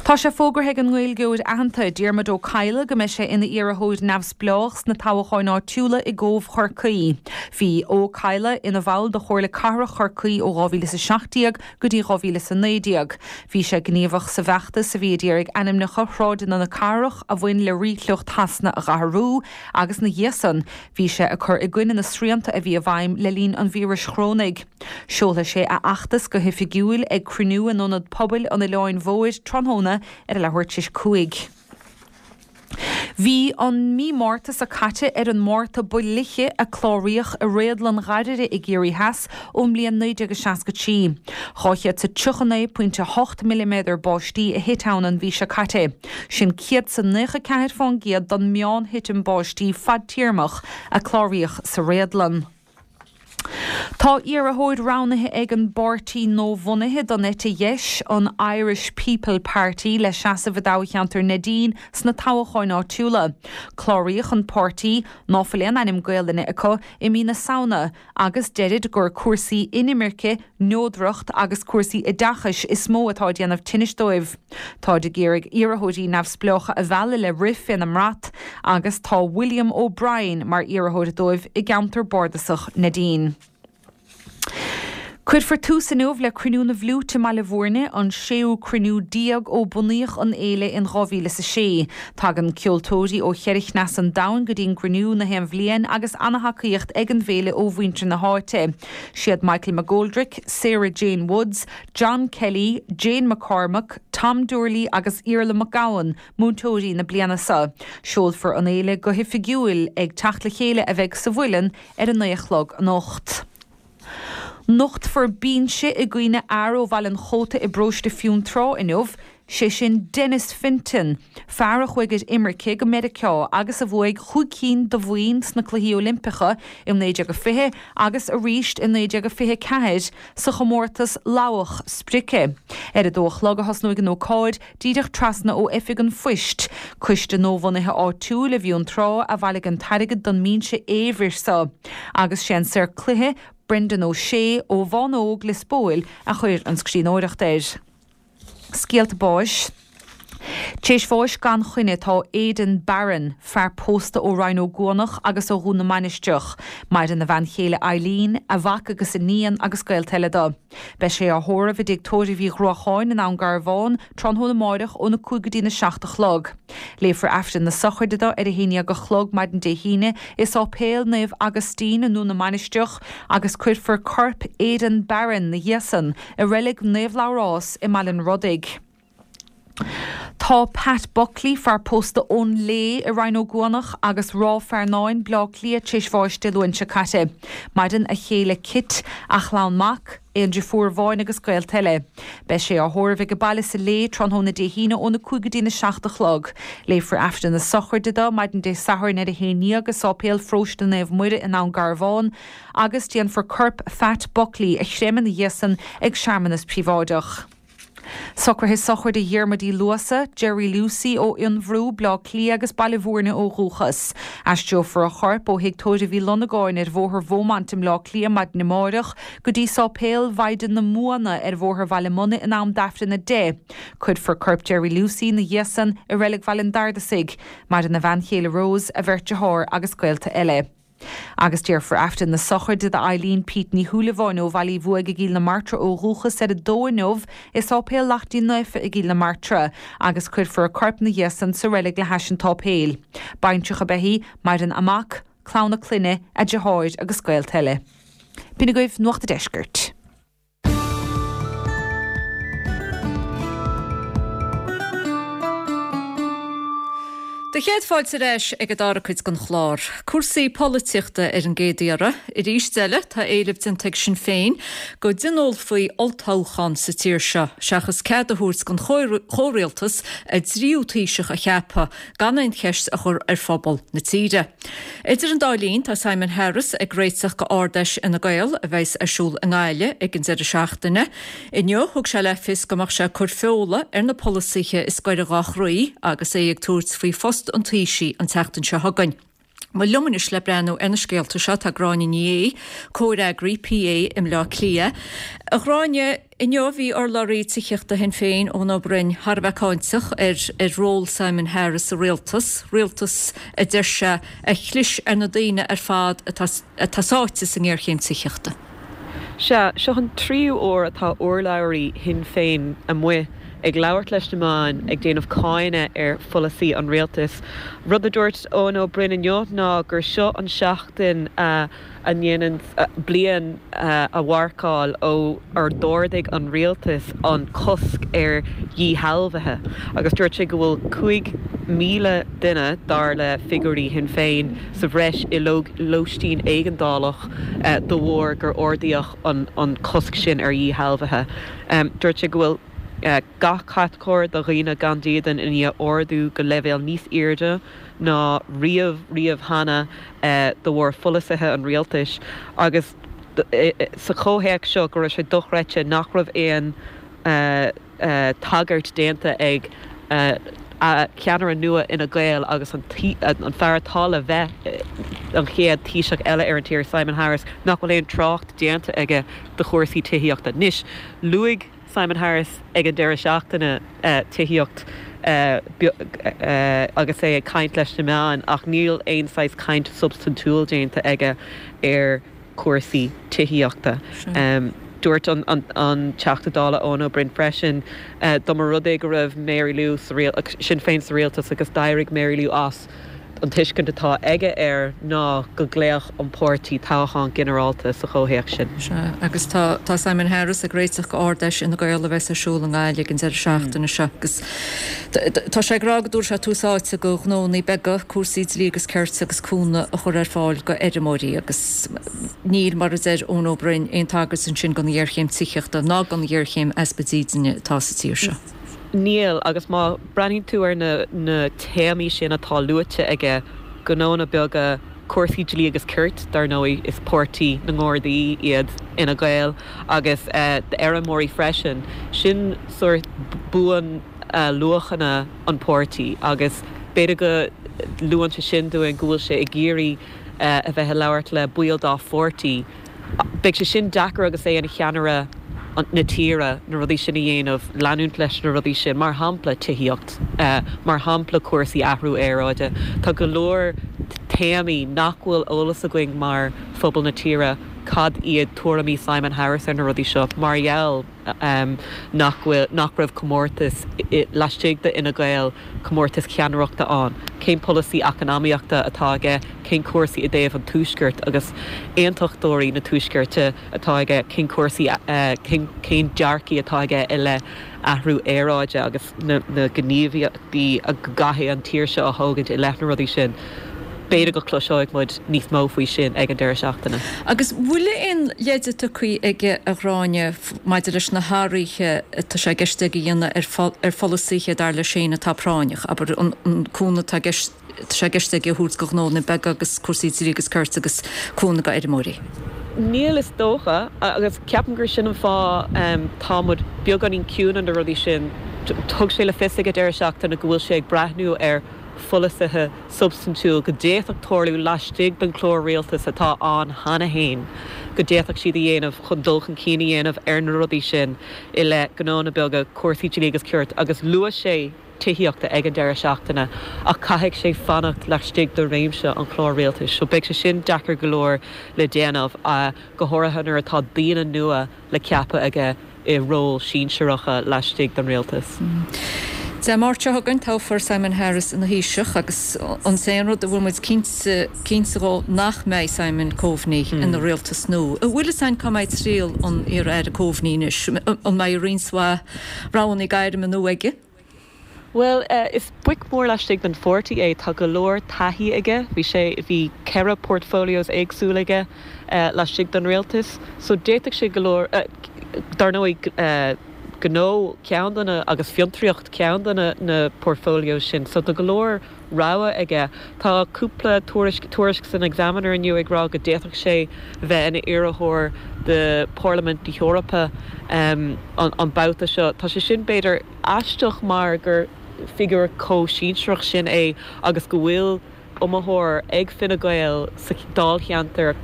Tá sé fógartha ag an nGaeilgeoir aitheanta, Diarmuid Ó Cadhla, go mbeidh sé ina iarrthóir neamhspleách sna toghcháin áitiúla i gCóbh Chorcaí. Bhí Ó Cadhla ina bhall de Chomhairle Cathrach Chorcaí ó dhá mhíle is a seacht déag go dtí dhá mhíle is a naoi déag. Bhí sé gníomhach sa bhfeachtas a bhí ag iarraidh ainmneacha shráideanna na cathrach a bhain le ríshliocht Shasana a dh'athrú agus ina dhiaidh san bhí sé ag cur i gcoinne na srianta a bhí i bhfeidhm le linn an víris chorónaigh. Seolfaidh sé a fheachtas go hoifigiúil ag cruinniú in Ionad Pobail an Oileáin Mhóir tráthnóna ar a leathuair tar éis a cúig. Bhí an mí Márta seo caite ar an Márta ba fhliche a cláraíodh i réadlann Ghairire i gCiarraí Theas ón mbliain naoi déag seasca trí. Dhá chéad 's a tríocha naoi pointe hocht milliméadar báistí a thit ann an mhí seo caite. Sin céad 's a naocha ceathair fán gcéad den meán-thitim báistí fadtéarmach a cláraíodh sa réadlann. Tá iarrthóir roghnaithe ag an bpáirtí nuabhunaithe don eite dheis, an Irish People Party, le seasamh i dtoghcheantar Neidín sna toghcháin áitiúla. Cláraíodh an páirtí, ná fuil aon ainm Gaelainne acu, i mí na Samhna agus deirid gur cúrsaí inimirce, neodracht agus cúrsaí oideachais is mó atá ag déanamh tinnis dóibh. Táid ag iarraidh iarrthóirí neamhspleácha a mhealladh le rith féna mbrat agus tá William O'Brien mar iarrthóir dóibh i gceantar bardasach Neidín. Cuirfear tús inniu le Cruinniú na bhFliúit i mBaile Bhúirne, an séú cruinniú déag ó bunaíodh an fhéile in dhá mhíle is a sé. Tagann ceoltóirí ó cheithre chneas an domhain go dtí an gcruinniú na haon bhliain agus ana-thacaíocht ag an bhféile ó mhuintir na háite. Siad Michael McGoldrick, Sarah Jane Woods, John Kelly, Jane McCormack, Tom Doorley agus Iarla Mac Gabhann múinteoirí na bliana seo. Seolfar an fhéile go hoifigiúil ag teacht le chéile a bheidh sa Mhuileann ar a naoi a chlog anocht. Nochtfar binse i gcuimhne fhear ó Bhaile an Chóta i bparóiste Fionntrá inniu, sé sin Denis Fenton, fear a chuaigh ar imirce go Meiriceá agus a bhuaigh chúig cinn de bhoinn sna Cluichí Oilimpeacha i naoi déag a fiche agus arís i naoi déag a fiche a ceathair sa chomórtas lamhach sprice. Ar a dó a chlog a thosnóidh an ócáid, díreach trasna ó Oifig an Phoist, coiste nuabhunaithe áitiúil i bhFionntrá a bhailigh an t-airgead don mbinse éabhair seo, agus sé an saor cloiche Brendan O'Shea ó Bhánóg, Lios Póil, a chuir an scríbhneoireacht air. Scéalta báis. T'éis bháis gan choinne tá Aidan Barron, fear pósta ó Rinn Ó gCuanach agus ó Dhún na Mainistreach. Maireann a bhean chéile Eileen, a mhac agus iníon agus gaolta eile dó. Beidh sé á thórramh i dtigh tórraimh Uí Ghruacháin in Abhainn Garbhán tráthnóna amáireach óna cúig go dtína seacht a chlog. Léifear Aifreann na sochraide dó ar a haon dhéag a chlog maidin Dé hAoine i Sáipéal Naomh Agaistín i nDún na Mainistreach agus cuirfear corp Aidan Barron 'na dhiaidh san i reilig Naomh Labhrás i mBaile an Rodaigh. Tá Pat Buckley, fear pósta ón Léith i Rinn Ó gCuanach agus Ráth Fearnáin, Bleá Cliath tar éis bháis Dé Luain seo caite. Maireann a chéile Kit, a chlann mac, aon deirfiúr amháin agus gaolta eile. Beidh sé á thórramh age baile sa Léith tráthnóna Dé hAoine óna cúig go dtína seacht a chlog. Léifear Aifreann na sochraide dó maidin Dé Sathairn ar a haon dhéag i Sáipéal Pharóiste Naomh Muire in Abhainn Garbhán agus déanfar corp Phat Buckley a chreimeadh 'na dhiaidh san ag searmanas príobháideach. Socruithe sochraide Dhiarmuid Uí Luasa, Jerry Lucey ó Fhionnbhrú, Bleá Cliath agus Baile Bhúirne ó dhúchas. Aistreofar a chorp ó Thigh Tórraimh Uí Lonnagáin ar Bhóthar Bheaumont i mBleá Cliath maidin amáireach go dtí Sáipéal Mhaighdean na Móna ar Bhóthar Bhaile Munna in am d'Aifreann a deich. Cuirfear corp Jerry Lucey 'na dhiaidh san i Reilig Bhaile an Bhardasaigh. Maireann a bhean chéile Rose, a bheirt dearthár agus gaolta eile. Agus déarfar Aifreann na sochraide d'Eileen Pete Ní Shúilleabháin ó Bhaile Uí Bhuaigh i gCill na Martra ó dhúchas ar a dó inniu i Sáipéal Lachtaín Naofa i gCill na Martra agus cuirfear a corp ina dhiaidh san sa reilig le hais an tsáipéil. Baintreach ab ea í, maireann a mac, clann a clainne, a deartháir agus gaolta eile. B'in agaibh Nuacht an Deiscirt. Do chéad fáilte ar ais ag an dara cuid den chlár. Cúrsaí polaitíochta ar an gcéad iarraidh. Arís eile, tá éileamh déanta ag Sinn Féin go dtionólfaí olltoghchán sa tír seo, seachas cead a thabhairt don chomhrialtas a dtríú Taoiseach a cheapadh gan aon cheist a chur ar phobal na tíre. Idir an dá linn, tá Simon Harris ag réiteach go Ard-Fheis Fhine Gael a bheas ar siúl i nGaillimh ag an deireadh seachtaine. Inniu, thug sé le fios go mbeadh sé ag cur feola ar na polasaithe is gaire dhá chroí agus é ag tabhairt faoi phost an Taoisigh an tseachtain seo chugainn. Bhuel, liom anois le breathnú ar na scéalta seo tá Gráinne Ní Aodha, Comhfhreagraí PA i mBleá Cliath. A Ghráinne, inniu bhí urlabhraí tithíochta Shinn Féin, Eoin Ó Broin, thar a bheith cáinteach ar ar ról Simon Harris sa rialtas, rialtas a deir sé a chlis ar na daoine ar fad atá atá sáite sa ngéarchéim tithíochta. Sea, seo an tríú huair atá urlabhraí Shinn Féin amuigh ag labhairt leis na meáin ag déanamh cáineadh ar pholasaí an rialtais. Rud a dúirt Eoin Ó Broin inniu ná gur seo an seachtain a ndéanann bliain a mharcáil ó ar d'ardaigh an rialtas an cosc ar dhíshealbhuithe agus dúirt sé go bhfuil cúig míle duine, dar le figiúirí Shinn Féin, sa bhreis i lóistín éigeandálach de bharr gur ardaíodh an cosc sin ar dhíshealbhuithe. Dúirt sé go bhfuil gach catagóir de dhaoine gan dídean i ndiaidh ardú go leibhéal níos airde ná riamh riamh cheana de bharr pholasaithe an rialtais agus sa chomhthéacs seo go raibh sé dochreidte nach raibh aon tagairt déanta ag ceannaire nua Fhine Gael agus an fear atá le bheith an chéad Taoiseach eile ar an tír, Simon Harris, nach bhfuil aon trácht déanta aige do chúrsaí tithíochta. Anois, luaigh Simon Harris ag an deireadh seachtaine tithíocht agus é ag caint leis na meáin ach níl aon saghas caint substaintiúil déanta aige ar chúrsaí tithíochta. Dúirt an Teachta Dála Eoin Ó Broin freisin dá mba rud é go raibh Mary Lou, Sinn Féin sa rialtas agus d'éirigh Mary Lou as, An tuiscint atá aige air ná go nglaofadh an páirtí toghchán ginearálta sa chomhthéacs sin. Sea, agus tá tá Simon Harris ag réiteach go Ard-Fheis Fhine Gael a bheas ar siúl i nGaillimh ag an deireadh seachtaine seo agus tá sé ag rá go dtabharfaidh sé tús áite go ghnónnaí beaga, cúrsaí dlí agus cirt agus cúnamh a chur ar fáil go fheirmeoirí agus níl, mar a deir Eoin Ó Broin, aon tagairt ansin don ghéarchéim tithíochta ná don ghéarchéim easpa dídine atá sa tír seo. Níl, agus má breathnaíonn tú ar na na téamaí sin atá luaite aige, gnónna beaga, cúrsaí dlí agus cirt, dar ndóigh, is páirtí na nGardaí iad Fhine Gael, agus d'fheirmeoirí freisin, sin sórt bunluachanna an pháirtí agus b'fhéidir go luann sé sin dúinn go bhfuil sé ag iarraidh a bheith ag labhairt le baill dá pháirtí. Beidh sé sin deacair agus é ina cheannaire na tíre na rudaí sin a dhéanamh, leanúint leis na rudaí sin, mar shampla tithíocht, mar shampla cúrsaí athrú aeráide. Tá go leor téamaí nach bhfuil eolas againn mar phobal na tíre cad iad tuairimí Simon Harris ar na rudaí seo mar gheall nach bhfuil, nach raibh comórtas laistigh de Fhine Gael, comórtas ceannaireachta ann. Cén polasaí eacnamaíochta atá aige? Cén cúrsaí i dtaobh an Tuaiscirt agus aontachtóirí na Tuaiscirte atá aige? Cén cúrsaí, cén, cén dearcaí atá aige i leith athrú aeráide agus na, na gníomhaíochtaí a gcaithfidh an tír seo a thógaint i leith na rudaí sin? B'fhéidir go cloisfidh muid níos mó faoi sin ag an deireadh seachtaine. Agus bhfuil aon leide tugtha aige, a Ghráinne, maidir leis na hathruithe atá sé i gceist aige a dhéanamh ar pholasaithe dar leis féin atá práinneach, abair, an cúnamh atá i gceist, tá sé i gceist aige a thabhairt do ghnónna beaga agus cúrsaí dlí agus cirt agus cúnamh do fheirmeoirí? Níl, is dócha, agus ceapaim gur sin an fáth tá muid beagáinín ciúin ar na rudaí sin. Thug sé le fios ag an deireadh seachtaine go bhfuil sé ag breathnú ar pholasaithe substaintiúil go d'fhéadfadh tarlú laistigh den chlár rialtais atá ann cheana féin, go d'fhéadfadh siad a dhéanamh chun dul chun cinn a dhéanamh ar na rudaí sin i leith gnónna beaga, cúrsaí dlí agus cirt agus luaigh sé tithíochta ag an deireadh seachtaine ach caithfidh sé fanacht laistigh de réimse an chláir rialtais so beidh sé sin deacair go leor le déanamh, go háirithe nuair atá daoine nua le ceapadh aige i róil sinsearacha laistigh den rialtas. Dé Máirt seo chugainn toghfar Simon Harris ina Thaoiseach agus an t-aon rud a bhfuil muid cinnte cinnte dhó nach mbeidh Simon Coveney ina rialtas nua. An bhfuil fhios againn cá mbeidh triall an iar-aire Coveney anois? An mbeidh roinnt mhaith roghanna gairme nua aige? Bhuel, is boic mór laistigh den pháirtí é. Tá go leor taithí aige. Bhí sé, bhí ceithre portfolios éagsúil aige laistigh den rialtas. So d'fhéadfadh sé go leor, dar ndóigh, gnó ceann de na, agus fiontraíocht ceann de na na portfolios sin. So tá go leor rogha aige. Tá cúpla tuairisc, tuairisc san Examiner inniu ag rá go d'fhéadfadh sé bheith ina iarrthóir do Pharlaimint na hEorpa an an babhta seo. Tá sé sin b'fhéidir aisteach mar gur figiúr chomh sinsearach sin é agus go bhfuil iomaitheoir ag Fine Gael sa dáilcheantar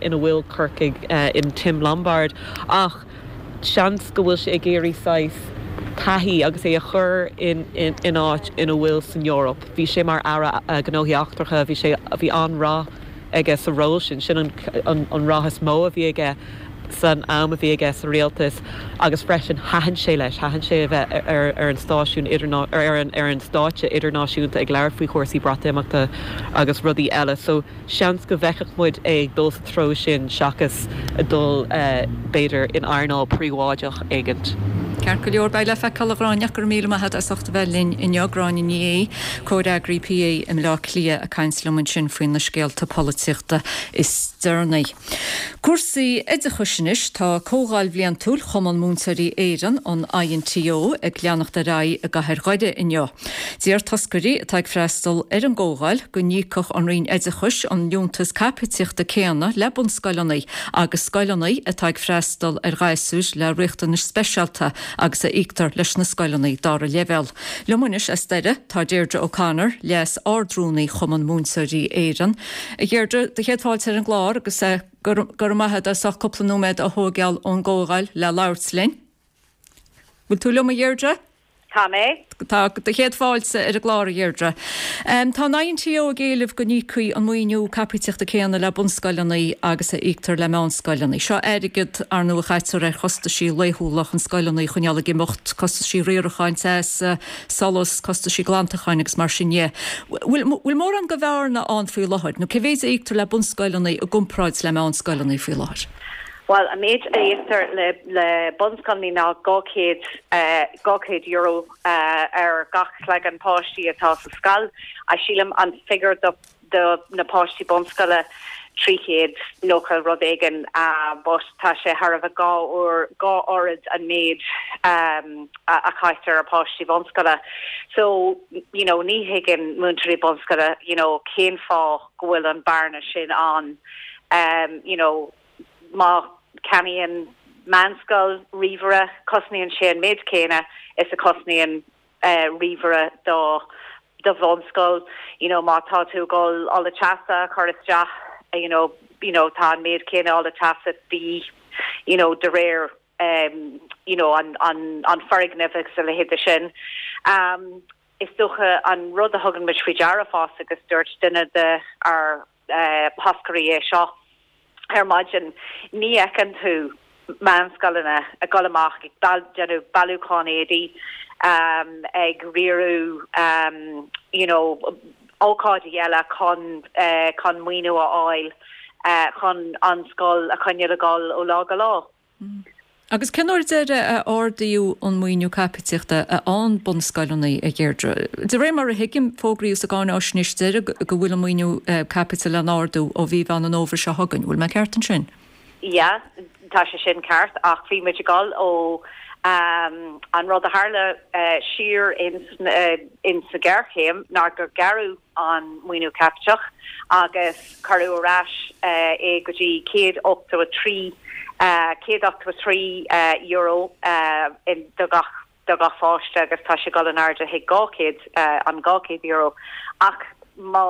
ina bhfuil Corcaigh in Tim Lombard ach seans go bhfuil sé ag iarraidh saghas taithí agus é a chur in in áit ina bhfuil san Eoraip. Bhí sé mar Aire Gnóthaí Eachtracha, bhí sé bhí an-rath aige sa ról sin, sin an an rath is mó a bhí aige san am a bhí aige sa rialtas agus freisin thaitin sé leis, thaitin sé a bheith ar ar an stáisiún idirná ar an ar an stáitse idirnáisiúnta ag labhairt faoi chúrsaí Breatimeachta agus rudaí eile. So seans go bhfeicfeadh muid é ag dul sa treo sin seachas ag dul b'fhéidir in earnáil príobháideach éigint. Ceart go leor, beidh le feiceáil a Ghráinne ach go raibh míle maith agat as ucht a bheith linn inniu. Gráinne Ní Aodha, Comhfhreagraí PA i mBleá Cliath ag caint liom ansin faoi na scéalta polaitíochta is deireanaí. Cúrsaí oideachais anois, tá Comhdháil Bhliantúil Chumann Múinteoirí Éireann, an INTO, ag leanacht ar aghaidh i gcathair Dhoire inniu. Deir toscairí atá ag freastal ar an gcomhdháil go n-íocfadh an Roinn Oideachais an liúntas caipitíochta céanna le bunscoileanna agus scoileanna atá ag freastal ar ghasúir le riachtanais speisialta agus a íoctar leis na scoileanna dara leibhéal. Liom anois as Doire tá Deirdre O'Connor, Leas-Ard-Rúnaí Chumann Múinteoirí Éireann. A Dheirdre, do chéad fáilte ar an gclár agus go raibh maith agat as ucht cúpla nóiméad a thógáil ón gcomhdháil le labhairt linn. Bhfuil tú liom a Dheirdre? Tá mé. Tá do chéad fáilte ar an gclár a Dheirdre. Tá an INTO ag éileamh go n-íocfaí an maoiniú caipitíochta céanna le bunscoileanna agus a íoctar le meánscoileanna. Seo airgead ar ndóigh a chaitear ar chostaisí laethúla chun scoileanna a choinneáil ag imeacht, costaisí riaracháin, teas, solas, costaisí glantacháin agus mar sin dhe. Bhfuil mórán de bhearna ann faoi láthair, nó cé mhéid a íoctar le bunscoileanna i gcomparáid le meánscoileanna faoi láthair? Bhuel, an méid a íoctar le le bunscoileanna ná dhá chéad dhá chéad euro ar gach cloigeann páistí atá sa scoil. Sílim an figiúr do do na páistí bunscoile trí chéad nócha rud éigin but tá sé thar a bheith dhá uair dhá oiread an méid a chaitear ar páistí bunscoile. So, you know, ní thuigeann múinteoirí bunscoile, you know, cén fáth go bhfuil an bearna sin ann, you know, Má cheannaíonn meánscoil ríomhaire, cosnaíonn sé an méid céanna is a chosnaíonn ríomhaire do do bhunscoil. You know, má tá tú ag dul ola teasa a chur isteach, you know, you know, tá an méid céanna ola teasa de dhíth, you know, de réir um, you know, an, an, an foirgneamh agus a leithéid de sin. Um, is dócha an rud a thugann muid faoi deara fosta agus dúirt duine de ár uh, thoscairí é seo, Ar maidin, ní fheiceann tú meánscoileanna ag dul amach ag déanamh bailiúchán éadaí, ag riaradh you know ócáidí eile chun chun maoiniú a fháil chun an scoil a choinneáil ag dul ó lá go lá. Agus cén uair deiridh a ardaíodh an maoiniú caipitíochta a fhaigheann bunscoileanna, a Dheirdre? De réir mar a thuigim, fógraíodh sa gcáináisnéis deiridh go bhfuil an maoiniú caipitil le n-ardú ó mhí Mheán an Fhómhair seo chugainn. Bhfuil mé ceart ansin? Yeah, tá sé sin ceart ach bhí muid ag dul ó an rud a tharla siar in sa ghéarchéim ná gur gearradh an maoiniú caipiteach agus cuireadh ar ais é go dtí céad ochtó a trí céad ochtó a trí euro do gach do gach pháiste agus tá sé ag dul in airde chuig dhá chéad an dhá chéad euro ach má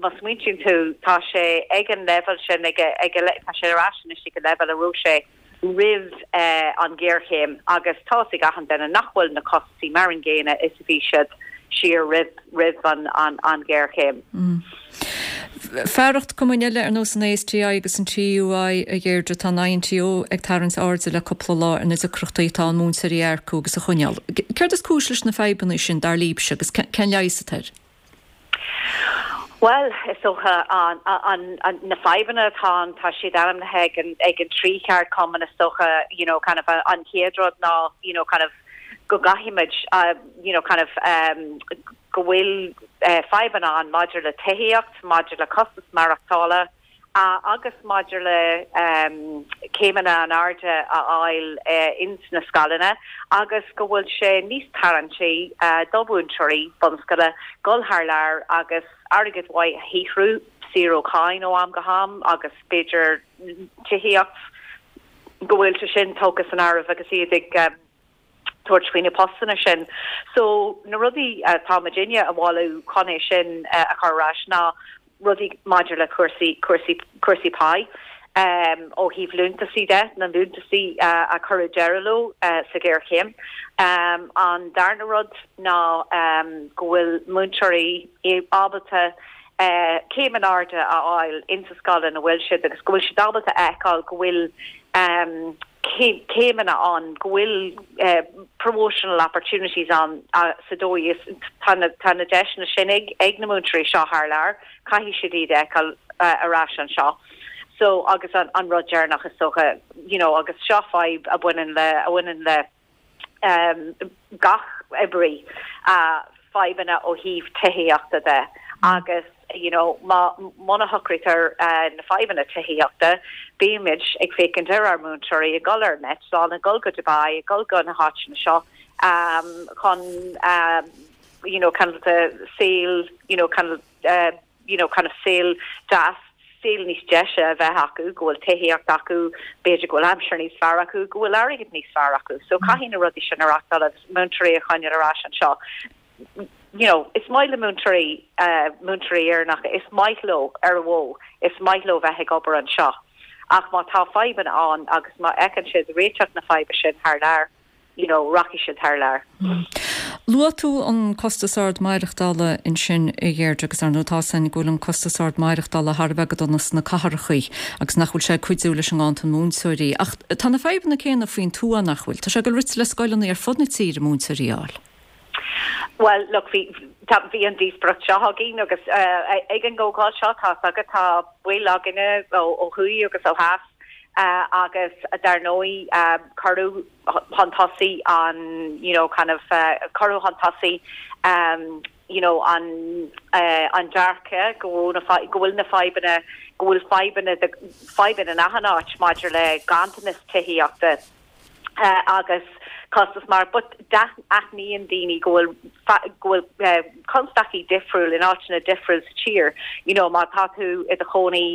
má smaointíonn tú tá sé ag an leibhéal sin ag ag tá sé ar ais anois ag an leibhéal a raibh sé roimh an ghéarchéim agus tá 'fhios ag achan duine nach bhfuil na costaisí mar an gcéanna is a bhí siad siar roimh roimh an an an ghéarchéim. Fearacht cumainn eile ar nós an ASTI agus an TUI a Dheirdre, tá an INTO ag tarraingt airde le cúpla lá ar na deacrachtaí atá ann múinteoirí a earcú agus a choinneáil. Céard is cúis leis na fadhbanna sin dar libhse agus cén leigheas atá air? Bhuel, is dócha an, an, an, na fadhbanna atá ann, tá siad ainmnithe ag an, ag an trí cheardchumann is dócha, you know, kind of an chéad rud ná, you know, kind of go gcaithfimid, uh, you know, kind of um, go bhfuil uh, fadhbanna ann maidir le tithíocht, maidir le costas maireachtála, uh, agus maidir le um, céimeanna in airde a fháil uh, ins na scoileanna agus go bhfuil sé níos tarraingtí uh, do mhúinteoirí bunscoile dul thar lear agus airgead mhaith a shaothrú saor ó cháin ó am go ham agus b'fhéidir tithíocht go bhfuil sé sin tógtha san áireamh agus iad ag um, tabhairt faoi na postanna sin. So na rudaí atá muidinne a mholadh chun é sin uh, a chur ar ais ná rudaí maidir le cúrsaí cúrsaí cúrsaí pá. Um, ó thaobh liúntaisí de na liúntaisí uh, a cuireadh deireadh leo uh, sa ghéarchéim. Um, an darna rud ná um, go bhfuil múinteoirí ábalta uh, céim in airde a fháil insa scoil ina bhfuil siad agus go bhfuil siad ábalta a fheiceáil go bhfuil um, céimeanna ann go bhfuil uh, promotional opportunities ann uh, sa dóigh is tá na tá na deiseanna sin ag ag na múinteoirí seo thar lear caithfidh siad iad a fheiceáil uh, ar ais anseo. So agus an, an rud deireanach is dócha you know, agus seo fadhb a bhaineann le a bhaineann le um, gach oibrí uh, fadhbanna ó thaobh tithíochta de agus you know má muna shocraítear uh, na fadhbanna tithíochta beimid ag féachaint ar ár múinteoirí ag dul ar an eitleán ag dul go Dubai ag dul go na háiteanna seo um, chun um, you know kind of the saol you know kind of uh, you know kind of saol deas saol níos deise a bheith acu go bhfuil tithíocht acu b'fhéidir go bhfuil aimsir níos fearr acu go bhfuil airgead níos fearr acu so caithfidh na rudaí sin a reáchtáil agus múinteoirí a choinneáil ar ais anseo you know, is maith le múinteoirí uh, múinteoirí Éireannacha is maith leo ar a mhó, is maith leo bheith ag obair anseo. Ach má tá fadhbanna ann agus má fheiceann siad réiteach na faidhbe sin thar lear, you know, rachaidh siad thar lear. Mm. Luaigh tú an costas ard maireachtála ansin a Dheirdre agus ar ndóigh tá san go bhfuil an costas ard maireachtála thar a bheith go dona sna cathracha agus nach bhfuil sé ag cuidiú leis an nganntan múinteoirí. Ach tá na fadhbanna céanna faoin tuath nach bhfuil, Tá sé go rite le scoileanna ar fud na tíre múinteoirí a fháil. Well, look, bhí bhí an díospóireacht seo againn agus uh, ag an gcomhdháil seo tá agus tá baill againne ó ó thuaidh agus ó theas uh, agus dar ndóigh um, cuireadh chun tosaigh an you know, kind of uh, cuireadh chun tosaigh um, you know, an uh, an dearcadh go go bhfuil na fadhbanna go bhfuil fadhbanna fadhbanna in achan áit maidir le ganntanas tithíochta uh, agus costas mar but aithníonn daoine go bhfuil go bhfuil uh, constaicí difriúil in áiteanna difriúil sa tír you know má tá tú i do chónaí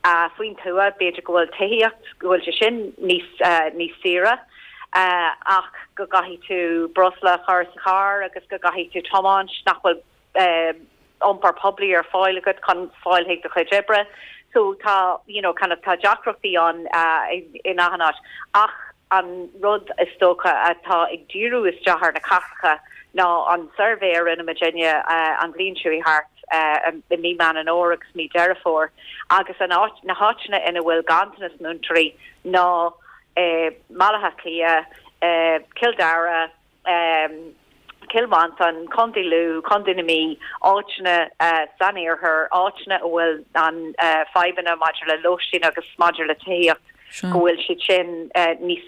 uh, faoin tuath b'fhéidir go bhfuil tithíocht go bhfuil sé sin níos uh, níos saoire uh, ach go gcaithfidh tú breosla a chur sa charr agus go gcaithfidh tú tiomáint nach bhfuil uh, iompar poiblí ar fáil agat chun fáil chuig do chuid oibre so tá you know kind of tá deacrachtaí ann uh, in, in achan áit ach an rud is dócha atá ag díriú isteach ar na cathracha ná an suirbhé a rinne muidinne uh, an bhliain seo thart uh, i mí Meán Fómhair agus mí Deireadh Fómhair agus an áit na háiteanna ina bhfuil ganntanas múinteoirí ná uh, Baile Átha Cliath, uh, Cill Dara, um, Cill Mhantáin, Contae Lú, Contae na Mí, áiteanna uh, san iarthar, áiteanna a bhfuil an uh, fadhbanna maidir le lóistín agus maidir le tithíocht go bhfuil siad sin uh, níos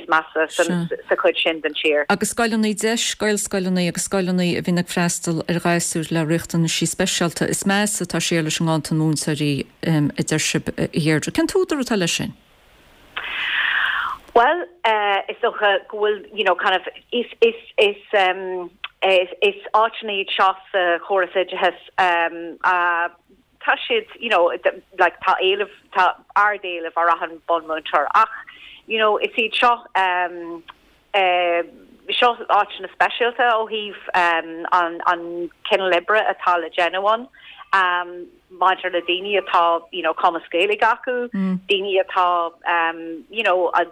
measa sa chuid sin den tír. Agus scoileanna deis, Gaelscoileanna agus scoileanna a bhíonn ag freastal ar ghasúir le riachtanaisí speisialta is measa atá sé leis an nganntan múinteoirí um, a deir sibh a Dheirdre. Cén t-údar atá leis sin? Well, uh, is dócha go bhfuil you know, kind of is is is um, is, is áiteanna iad seo sa chóras oideachais um, uh, tá siad you know like tá éileamh tá ardéileamh ar achan bunmúinteoir ach you know is iad seo um, uh, seo áiteanna speisialta ó thaobh an an cineál oibre atá le déanamh ann um, maidir le daoine atá you know, cumas Gaeilge acu, mm. daoine atá um, you know, a,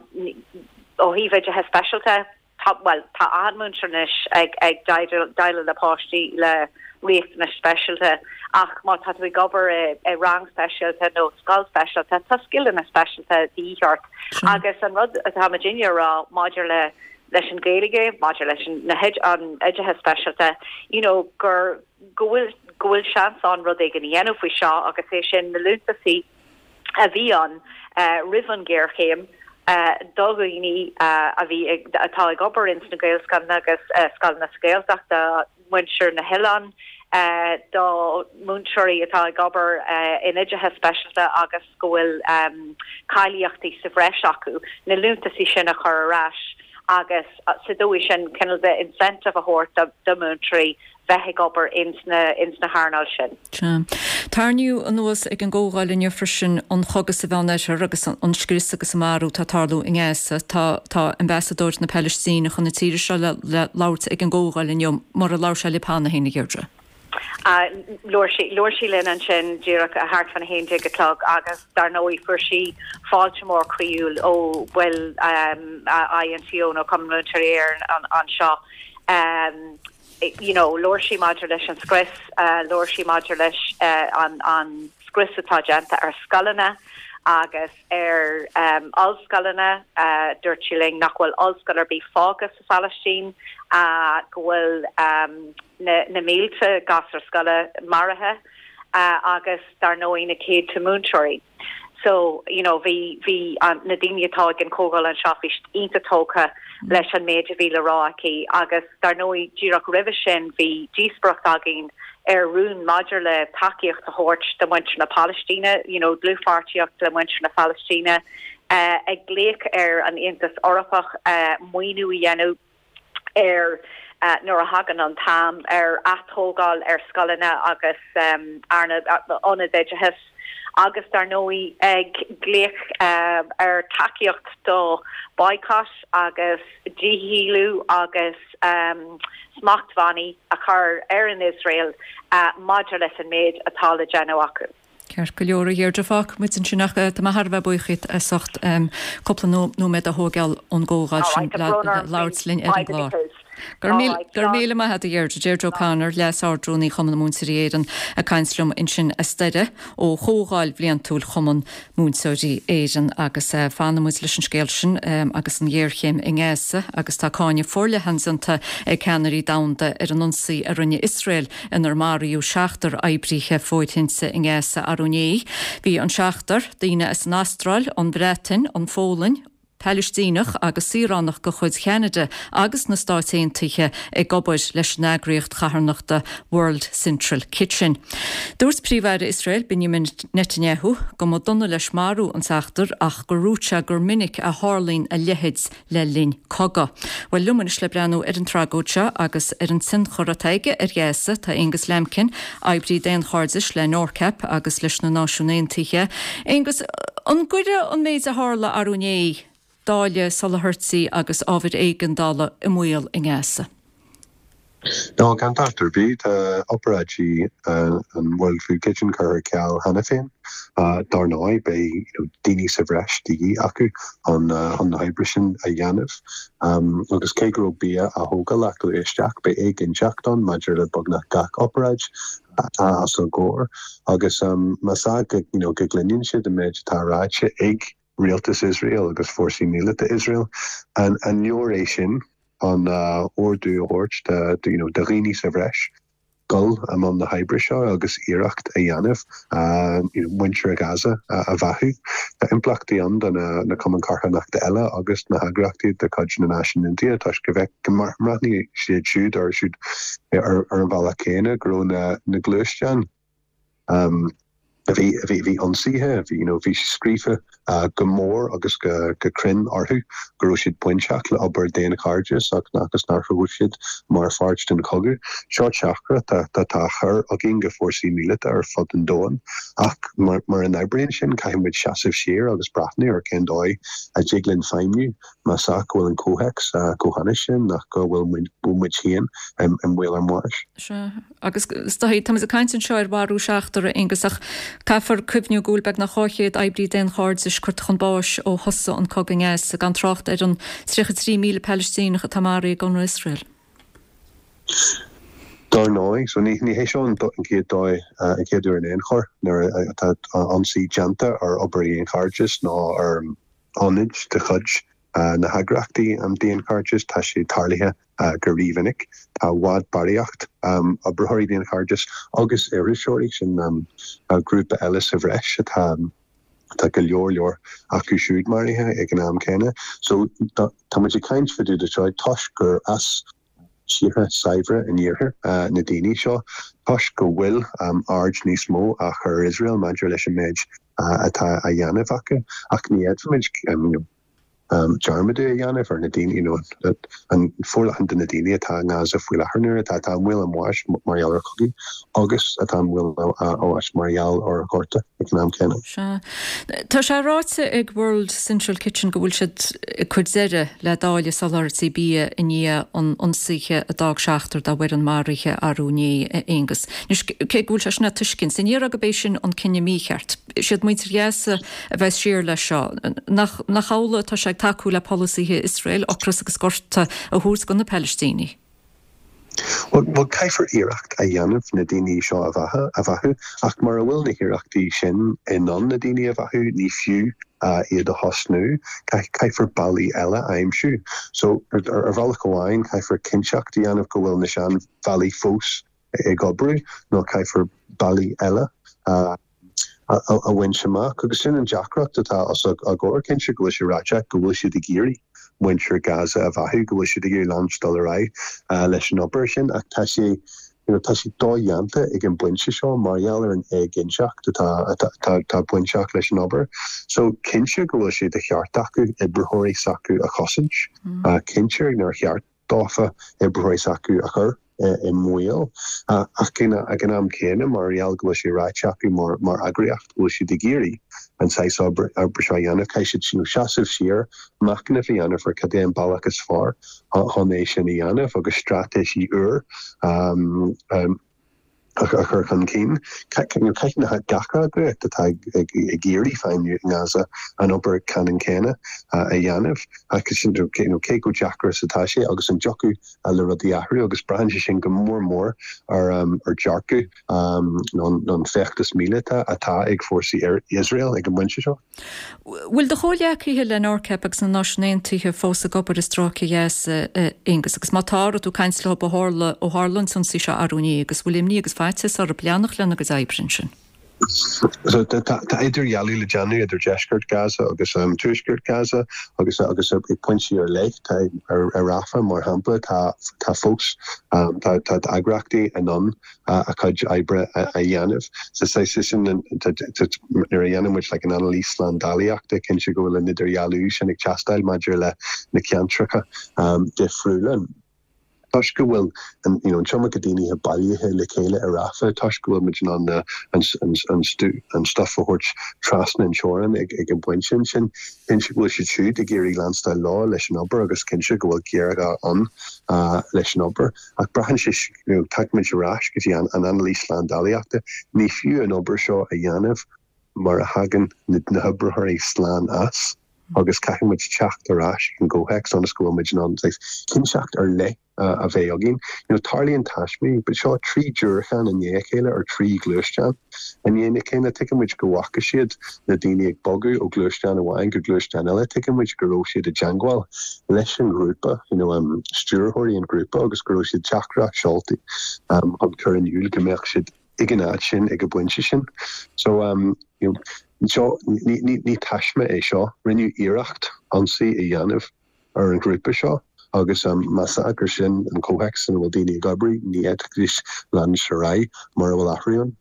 ó thaobh oideachas speisialta tá well tá an múinteoir anois ag ag déileáil le páistí le riachtanais speisialta ach má tá tú ag obair i, i rang speisialta nó scoil speisialta tá scileanna speisialta de dhíth ort agus an rud atá muidinne a rá maidir le leis an Gaeilge maidir leis an na an oideachas speisialta you know gur go bhfuil go bhfuil seans ann rud éigin a dhéanamh faoi seo agus é sin na liúntasaí a bhí ann uh, roimh an géarchéim uh, do dhaoine uh, a bhí atá ag obair ins na Gaelscoileanna agus uh, scoileanna sa Ghaeltacht do mhuintir na hoileán uh, do múinteoirí atá ag obair uh, in oideachas speisialta agus go bhfuil um, cáilíochtaí sa bhreis acu na liúntasaí sin a chur ar ais agus sa dóigh sin cineál de incentive a thabhairt do mhúinteoirí bheith ag obair ins na ins na hearnáil sin. Tarraingíodh anuas ag an gcomhdháil inniu freisin an cogadh sa Mheánoirthear agus an scrios agus an marú atá ag tarlú i nGaza tá tá ambasadóir na Palaistíne chun na tíre seo le le labhairt ag an gcomhdháil inniu mar a labhair sé libh cheana féin a Dheirdre. Labhair sí linn ansin díreach a thart fan a haon déag a chlog agus dar ndóigh fuair sí fáilte mór croíúil ó bhaill INTO nó Cumann Múinteoirí Éireann anseo. Um, you know, labhair sí maidir leis an scrios, uh, labhair sí maidir leis uh, an, an scrios atá déanta ar scoileanna agus ar um, ollscoileanna uh, dúirt sí linn nach bhfuil ollscoil ar bith fágtha sa Phalaistín uh, go bhfuil um, na, na mílte gasúr scoile maraithe uh, agus dar ndóigh na céadta múinteoirí. So you know bhí bhí an na daoine atá ag an comhdháil anseo bhí iontach tógtha leis an méid a bhí le rá aici agus dar ndóigh díreach roimhe sin bhí díospóireacht againn ar rún maidir le tacaíocht a thabhairt do mhuintir na Palaistíne, you know, dlúthpháirtíocht le muintir na Palaistíne, uh, ag glaoch ar an Aontas Eorpach uh, maoiniú a dhéanamh ar uh, nuair a thagann an t-am ar atógáil ar scoileanna agus um, arna ionaid oideachais agus dar ndóigh ag glaoch uh, ar tacaíocht do boycott agus dícheannú agus um, smachtbhannaí a chur ar an Israel uh, maidir leis an méid atá le déanamh acu. Ceart go leor a Dheirdre fágfaidh muid ansin ach tá mé thar a bheith buíoch díot as ucht cúpla nóiméad a thógáil ón gcomhdháil sin le labhairt linn ar an gclár. Gur míle maith agat a Dheirdre Deirdre O'Connor Leas-Ardrúnaí Chumann na Múinteoirí Éireann ag caint liom ansin as Doire ó chomhdháil bhliantúil Chumann Múinteoirí Éireann agus eh, fanfaidh muid leis an scéal sin agus an ghéarchéim i nGaza agus tá cáineadh forleathan déanta ag ceannairí domhanda ar an ionsaí a rinne Iosrael inar maraíodh seachtar oibrithe fóirithinte i nGaza arú inné. Bhí an seachtar daoine as an Astráil, an Bhreatain, an Pholainn, Palaistíneach agus saoránach de chuid Cheanada agus na Stáit Aontaithe ag obair leis an eagraíocht charthanachta World Central Kitchen. Dúirt Príomh-Aire Iosrael Benjamin Netanyahu go mba dona leis marú an tseachtair ach gur dhúirt sé gur minic a tharlaíonn a leithéid le linn cogadh. Well liom anois le breathnú ar an tragóid seo agus ar an tionchar atá aige ar Ghaza tá Angus Lambkin, oibrí daonchairdis le NORCAP agus leis na Náisiúin Aontaithe. Angus, an gcuirfidh an méid a tharla arú inné dáileadh soláthairtí agus ábhair éigeandála i mbaol i nGaza. Ná gan dabht ar bith tá obráidí an World Food Kitchen curtha ar ceal cheana féin. Dar ndóigh beidh daoine sa bhreis de dhíth acu chun na hoibre sin a dhéanamh. Agus cé go raibh bia á thógáil acu isteach beidh éiginnteacht ann maidir le beagnach gach obráid atá os a gcomhair. Agus más ea go gcluineann siad an méid atá ráite ag rialtas Iosrael agus fórsaí míleata Iosrael. An leor é sin an ordú a thabhairt do you know, do dhaoine sa bhreis dul i mbun na hoibre seo agus iarracht a dhéanamh you know, muintir Gaza a bheathú. Tá impleachtaí ann do na, na cumainn carthanachta eile agus na heagraíochtaí de chuid na Náisiún Aontaithe toisc go bhfeic go mbreathnaíonn siad siúd ar siúd ar, ar an bhealach céanna go raibh na, na gluaisteáin um, a bhí a bhí bhí ionsaithe bhí you know, bhí scríofa uh, go mór agus go, go cruinn orthu go raibh siad bainteach le obair daonchairdis ach agus nach raibh siad mar pháirt den chogadh. Seo teachtaireacht atá á chur againn go fórsaí míleata ar fud an domhain ach mar, mar an oibríonn sin caithfidh muid seasamh siar agus breathnú ar cén dóigh a dtig linn feidhmiú Más ea go bhfuil an comhthéacs chomh hainnis sin nach go bhfuil muid féin i mbaol ár mbáis. Sea, agus is dóigh, táimid ag caint anseo ar mharú seachtar, a Aonghus, ach caithfear cuimhniú go bhfuil beagnach dhá chéad oibrí daonchairdis curtha chun báis ó thosaigh an cogadh i nGaza, gan trácht ar an tríocha trí míle Palaistíneach atá maraithe ag ionradh Iosrael. Dar ndóigh, so ní hé seo an chéad dóigh, an chéad uair in aon chor nuair atá ionsaí déanta ar obair daonchairdis nó ar ionaid de chuid na heagraíochtaí daonchairdis, tá sé tarlaithe go rímhinic. Tá i bhfad barraíocht oibritheoirí daonchairdis agus iriseoirí, sin grúpa eile sa bhreis atá tá go leor leor acu siúd maraithe ag an am céanna. So tá muid ag caint fá dtaobh de seo toisc gur as tíortha saibhre an iarthair na daoine seo, toisc go bhfuil aird níos mó á chur ar Iosrael maidir leis an méid atá á dhéanamh acu. Ach ní fhéadfaimid dearmad a dhéanamh ar na daoine, you know, an forleathan de na daoine atá i nGaza faoi láthair nuair atá atá i mbaol a mbáis mar gheall ar chogaí agus atá i mbaol a mbáis mar gheall ar ghorta ag an am céanna. Sea. Tá sé ráite ag World Central Kitchen go bhfuil siad ag cur deireadh le dáileadh soláthairtí bia i ndiaidh an ionsaithe a d'fhág seachtar dá bhfoireann maraithe arú inné, a Aonghus. Anois, cé go bhfuil sé sin le tuiscint, ní déarfá gurb é sin an cinneadh mícheart. Siad muintir Ghaza a bheas siar leis seo. Nach amhlaidh atá sé ag tacú le polasaithe Iosrael ocras agus gorta a thabhairt do na Palaistínigh? Bhuel, caithfear iarracht a dhéanamh na daoine seo a bheathú, ach mura bhfuil na hiarrachtaí sin in ann na daoine a bheathú, ní fiú iad a thosnú. Caithfear bealaí eile a aimsiú. So, ar bhealach amháin, caithfear cinnteacht a dhéanamh go bhfuil na seanbhealaí fós ag oibriú, nó caithfear bealaí eile a a bhaint amach. Agus sin an deacracht atá os ár gcomhair, cinnte go bhfuil sé ráite go bhfuil siad ag iarraidh muintir Gaza a bheathú, go bhfuil siad ag iarraidh leanúint dul ar aghaidh leis an obair sin, ach tá sé you know, tá sé dodhéanta ag an bpointe seo mar gheall ar an éiginnteacht atá atá bainteach leis an obair. So cinnte go bhfuil sé de cheart acu oibritheoirí s'acu a chosaint, cinnte nár cheart dófa oibritheoirí s'acu a chur i mbaol. Ach ag an am céanna, mar gheall go bhfuil sé ráite acu mar eagraíocht go bhfuil siad ag iarraidh an saghas oibre seo a dhéanamh, caithfidh siad seasamh siar, machnamh a dhéanamh ar cad é an bealach is fearr chun é sin a dhéanamh agus straitéisí úr a chur chun cinn. Caithfidh gach eagraíocht atá ag iarraidh feidhmiú i nGaza an obair ceannann céanna a dhéanamh. Ach cé chomh deacair is atá sé agus an dtiocfadh le rudaí athrú agus braitheann sé sin go mór mór ar ar dearcadh nó an feachtas míleata atá ag fórsaí Iosrael ag an bpointe seo. Bhfuil do chomhghleacaithe le NORCEP agus na Náisiúin Aontaithe fós ag obair i Stráice Ghaza, a Aonghus, agus má tá, raibh tú ag caint leo ó tharla ó tharla an t-ionsaí seo arú inné agus bhfuil imní agus faitíos orthu leanacht lena gcuid oibre ansin? So tá idirdhealú le déanamh idir deisceart Gaza agus tuaisceart Gaza agus agus ag pointí ar leith tá ar Rafah mar shampla tá tá fós tá tá eagraíochtaí in ann a cuid oibre a dhéanamh. So saghas sin nuair a dhéanann muid like an anailís slándálaíochta cinnte go bhfuil an idirdhealú sin ag teastáil maidir le na ceantracha difriúla. Toisc go bhfuil an you know an t-iomarca daoine bailithe le chéile i Rafah, toisc go bhfuil muid in ann an an an stuff a thabhairt trasna an teorainn ag ag an bpointe sin, cinnte go bhfuil siad siúd ag iarraidh leanstáil leo leis an obair agus cinnte go bhfuil géarghá ann leis an obair. Ach braitheann sé you know tagann muid ar ais go dtí an an anailís slándálaíochta, ní fiú an obair seo a dhéanamh mura thagann na na hoibritheoirí slán as agus caithfidh muid teacht ar ais ag an gcomhthéacs ionas go bhfuil muid in ann cinnteacht ar leith a bheith againn. You know, tarlaíonn taismí, but seo trí diúracán i ndiaidh a chéile ar trí ghluaisteán i ndiaidh a chéile. Tuigeann muid go bhfaca siad na daoine ag bogadh ó ghluaisteán amháin go gluaisteán eile. Tuigeann muid go raibh siad i dteangmháil leis an ghrúpa, you know, um, stiúrthóirí an ghrúpa agus go raibh siad teachtaireacht seolta um, chun cur in iúl go mbeadh siad ag an áit sin ag an bpointe sin. So um, you know, seo ní, ní, ní taisme é seo, rinneadh iarracht ionsaí a dhéanamh ar an ghrúpa seo agus um, más ea gur sin an comhthéacs ina bhfuil daoine ag obair, ní fhéadfaidís leanúint ar aghaidh mura bhfuil athrú ann.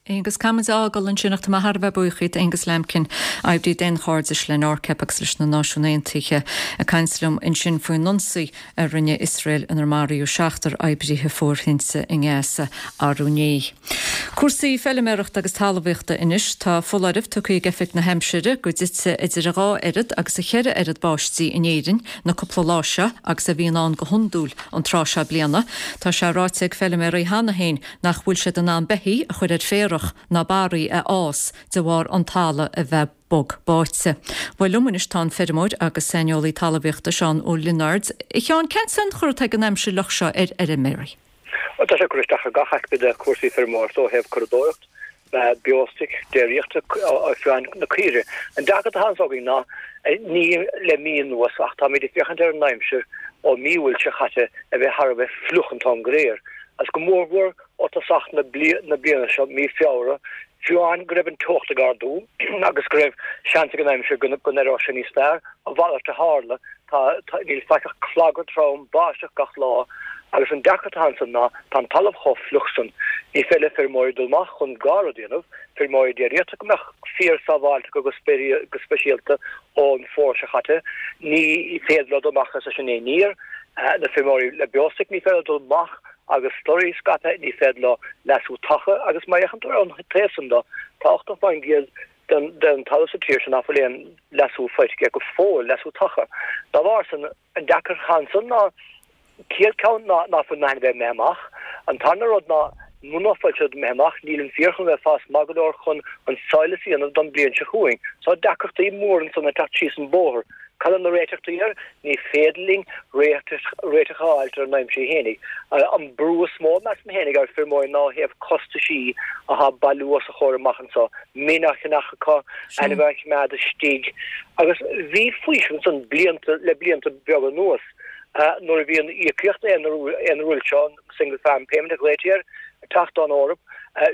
Aonghus, caithfimid a fhágáil ansin ach tá mé thar a bheith buíoch díot, Aonghus Lambkin, oibrí daonchairdis le NORCEP agus leis na Náisiúin Aontaithe, ag caint liom ansin faoin ionsaí a rinne Iosrael inar maraíodh seachtar oibrithe fóirithinte i nGaza arú inné. Cúrsaí feiliméarachta agus talmhaíochta anois. Tá foláireamh tugtha ag Oifig na hAimsire go dtitfidh idir a dhá oiread agus a cheithre oiread báistí in Éirinn na cúpla lá seo agus a bhíonn ann go hiondúil an tráth seo bliana. Tá sé ráite ag feiliméaraí cheana féin nach bhfuil siad in ann beithígh a chur ar féarach ná barraí a fhás de bharr an talamh a bheith bog báite. Bhuel liom anois tá an feirmeoir agus saineolaí talmhaíochta Seán Ó Lionáird. A Sheáin, cén tionchar atá ag an aimsir fhliuch seo ar fheirmeoirí? Tá sé ag cur isteach ar gach aicme de chúrsaí feirmeoireachta ó thaobh curadóireacht, beostoic, déiríochta, fiú amháin na caoirigh. An deacracht atá anso againn ná ní le mí anuas ach táimid ag féachaint ar an aimsir ó mí Iúil seo chaite a bheith thar a bheith fliuch an t-am go léir. Agus go mórmhór ó tosach na bliana seo, mí Feabhra, fiú amháin go raibh an teocht ag ardú agus go raibh seans ag an aimsir go n-éireodh sé níos fearr, a mhalairt a tharla. Tá, níl faic ach clagar trom, báisteach gach lá agus an deacracht atá ansan ná tá an talamh chomh fliuch san, ní féidir le feirmeoirí dul amach chun dhá rud a dhéanamh, feirmeoirí déiríochta go mbeadh fíor sábháilte acu go speisialta ón bhfómhar seo chaite, ní féidir leo dul amach agus é sin a níor, na feirmeoirí le beostoic ní féidir leo dul amach agus slurry a scaipeadh, ní féidir leo leasú taca agus má fhéachann tú ar an taobh san de, tá ochtó faoin gcéad den talamh sa tír seo nach bhfuil aon leasú faighte aige go fóill, leasú taca. Dá bharr san, an deacracht atá ansan ná céad ceann ná nach bhfuil na hainmhithe imithe amach. An tarna rud ná muna bhfuil siad imithe amach, níl an féar chun a bheith ag fás maith go leor chun an sadhlas a dhéanamh don bliain seo chugainn. So deacrachtaí móra ansan ag teacht síos an bóthar. Cad é na réiteachtaí air? Ní féidir linn réiteach a fháilt ar an aimsir fhéinig. An brú is mó, measaim fhéinig, ar feirmeoirí ná ó thaobh costaisí athá ag bailiú os a chomhair amach anso, min á cheannach acu, ainmhithe á choimeád istigh. Agus bhí faoiseamh ansan blianta, le blianta beaga anuas, nuair a bhí an íocaíocht aonuaire seo, an Single Farm Payment a ghlaoití air, ag teacht ón Eoraip,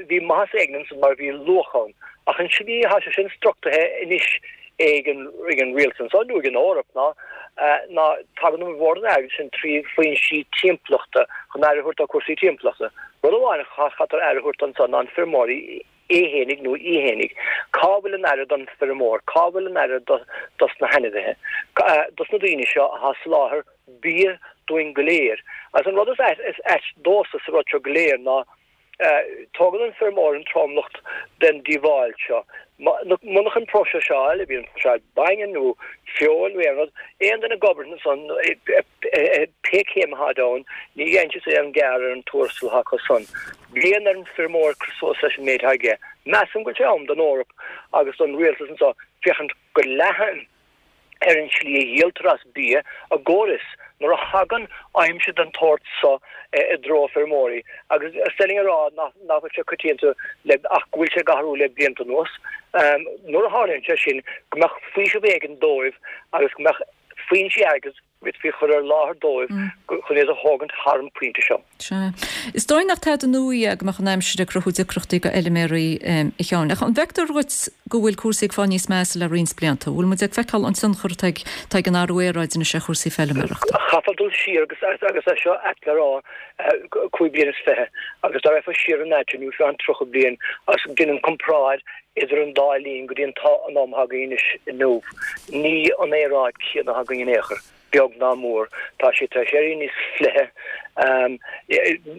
bhí maitheas éigin ansan mar bhí luach ann. Ach an tslí athá sé sin struchtúraithe anois, ag an ag an rialtas anso nó ag an Eoraip ná ná tagann an mhór den airgead sin trí foinsí timpeallachta chun aire a thabhairt do chúrsaí timpeallachta. Rud amháin a chaithfear aire a thabhairt anso ná an feirmeoirí é fhéinig nó í fhéinig. Cá bhfuil an aire don feirmeoir? Cá bhfuil an aire dos na hainmhithe? Dos na daoine seo atá ag soláthar bia dúinn go léir? Agus an rud is ait domhsa sa rud seo go léir ná Tógann an feirmeoir an tromlach den díobháil seo. Munach an próiseáil, a bhíonn próiseáil bainne nó feoil nó aon rud, aon duine ag obair ansan, pé céim athá ann, ní dhéanann siad aon gearr ar an tuarastal atá acu san. Bíonn ar an feirmeoir cur suas leis an méid atá aige. Measaim go bhfuil sé am don Eoraip agus don rialtas anso féachaint go leathan ar an tslí a dhíoltar as bia i gcomhair is nuair a thagann aimsir den tsórt so i dtreo feirmeoirí, agus is dóigh linn a rá nach bhfuil sé coitianta le ach go bhfuil sé ag athrú le blianta anuas, nuair a tharlaíonn sé sin, go mbeadh faoiseamh éigin dóibh agus go mbeadh foinsí airgid bhféadfaí a chur ar láthair dóibh chun iad a thógaint thar an bpointe seo. Sea. Is dóigh nach tada nua é go mbeadh an aimsir ag cruthú deacrachtaí do fheilméaraí, a Sheáin. Ach an bhfeictear dhuit go bhfuil cúrsaí ag fáil níos measa le roinnt blianta? Bhfuil muid ag feiceáil an tionchar atá ag atá ag an athrú aeráide anois ar chúrsaí feilméarachta? Chaithfeá dul siar agus agus é seo ait le rá, cúig bliana is fiche, agus dá raghfá siar an fhad sin, nó fiú amháin tríocha bliain, agus déan an comparáid idir an dá linn go dtí an an am atá againn anois inniu, ní an aeráid chéanna atá againn in aon chor. beag ná mór. Tá sé tar éis éirí níos fliche.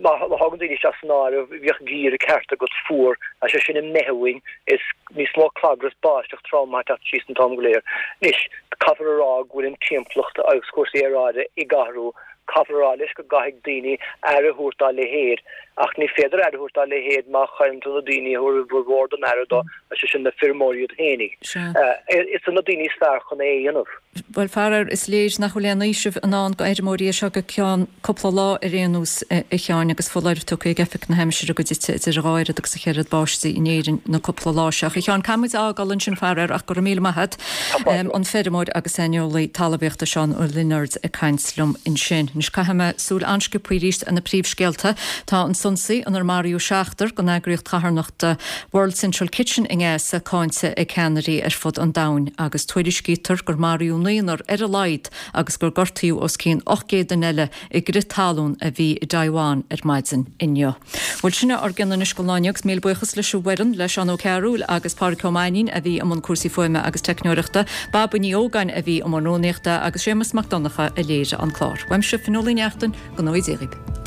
Má thagann daoine isteach san áireamh, bhíodh geimhreadh ceart agat fuar, tá sé sin imithe uainn, is níos mó clagar is báisteach trom ag teacht síos an t-am go léir. Anois, caithfear a rá go bhfuil an timpeallacht agus cúrsaí aeráide ag athrú, caithfear a rá leis go gcaithfidh daoine aire a thabhairt dá leithéid, ach ní féidir aire a thabhairt dá leithéid má chailleann tú na daoine a thabharfaidh a bhformhór den aire dó, is é sin na feirmeoirí iad féinig. Is iad na daoine is fearr chun é a dhéanamh. Bhuel, faraor, is léir nach bhfuil aon fhaoiseamh i ndán do fheirmeoirí as seo go ceann cúpla lá ar aon nós, a Sheáin, agus foláireamh tugtha ag Oifig na hAimsire go dtitfidh idir dhá oiread agus a cheithre oiread báistí in Éirinn na cúpla lá seo. A Sheáin, caithfidh muid a fhágáil ansin, faraor, ach go raibh míle maith agat. An feirmeoir agus saineolaí talmhaíochta Seán Ó Lionáird ag caint liom ansin. Anois caithfidh mé súil an-sciobtha arís ar na príomhscéalta. Tá an t-ionsaí inar maraíodh seachtar den eagraíocht charthanachta World Central Kitchen i nGaza cáinte ag ceannairí ar fud an domhain agus tuairiscítear gur maraíodh naonúr ar a laghad agus gur gortaíodh os cionn ocht gcéad duine eile i gcrith talún a bhí i dTaiwan ar maidin inniu. Bhuel, sin é ár gcion anois don lá inniu agus míle buíochas leis an bhfoireann, le Seán Ó Cearúil agus Pádraig Ó Mainnín a bhí i mbun cúrsaí fuaime agus teicneoireachta, Baba Ní Ógáin a bhí i mbun rúnaíochta agus Séamus Mac Donncha a léirigh an clár. Uaimse, Fionnuala Ní Neachtain, go ngnóthaí Dia dhaoibh.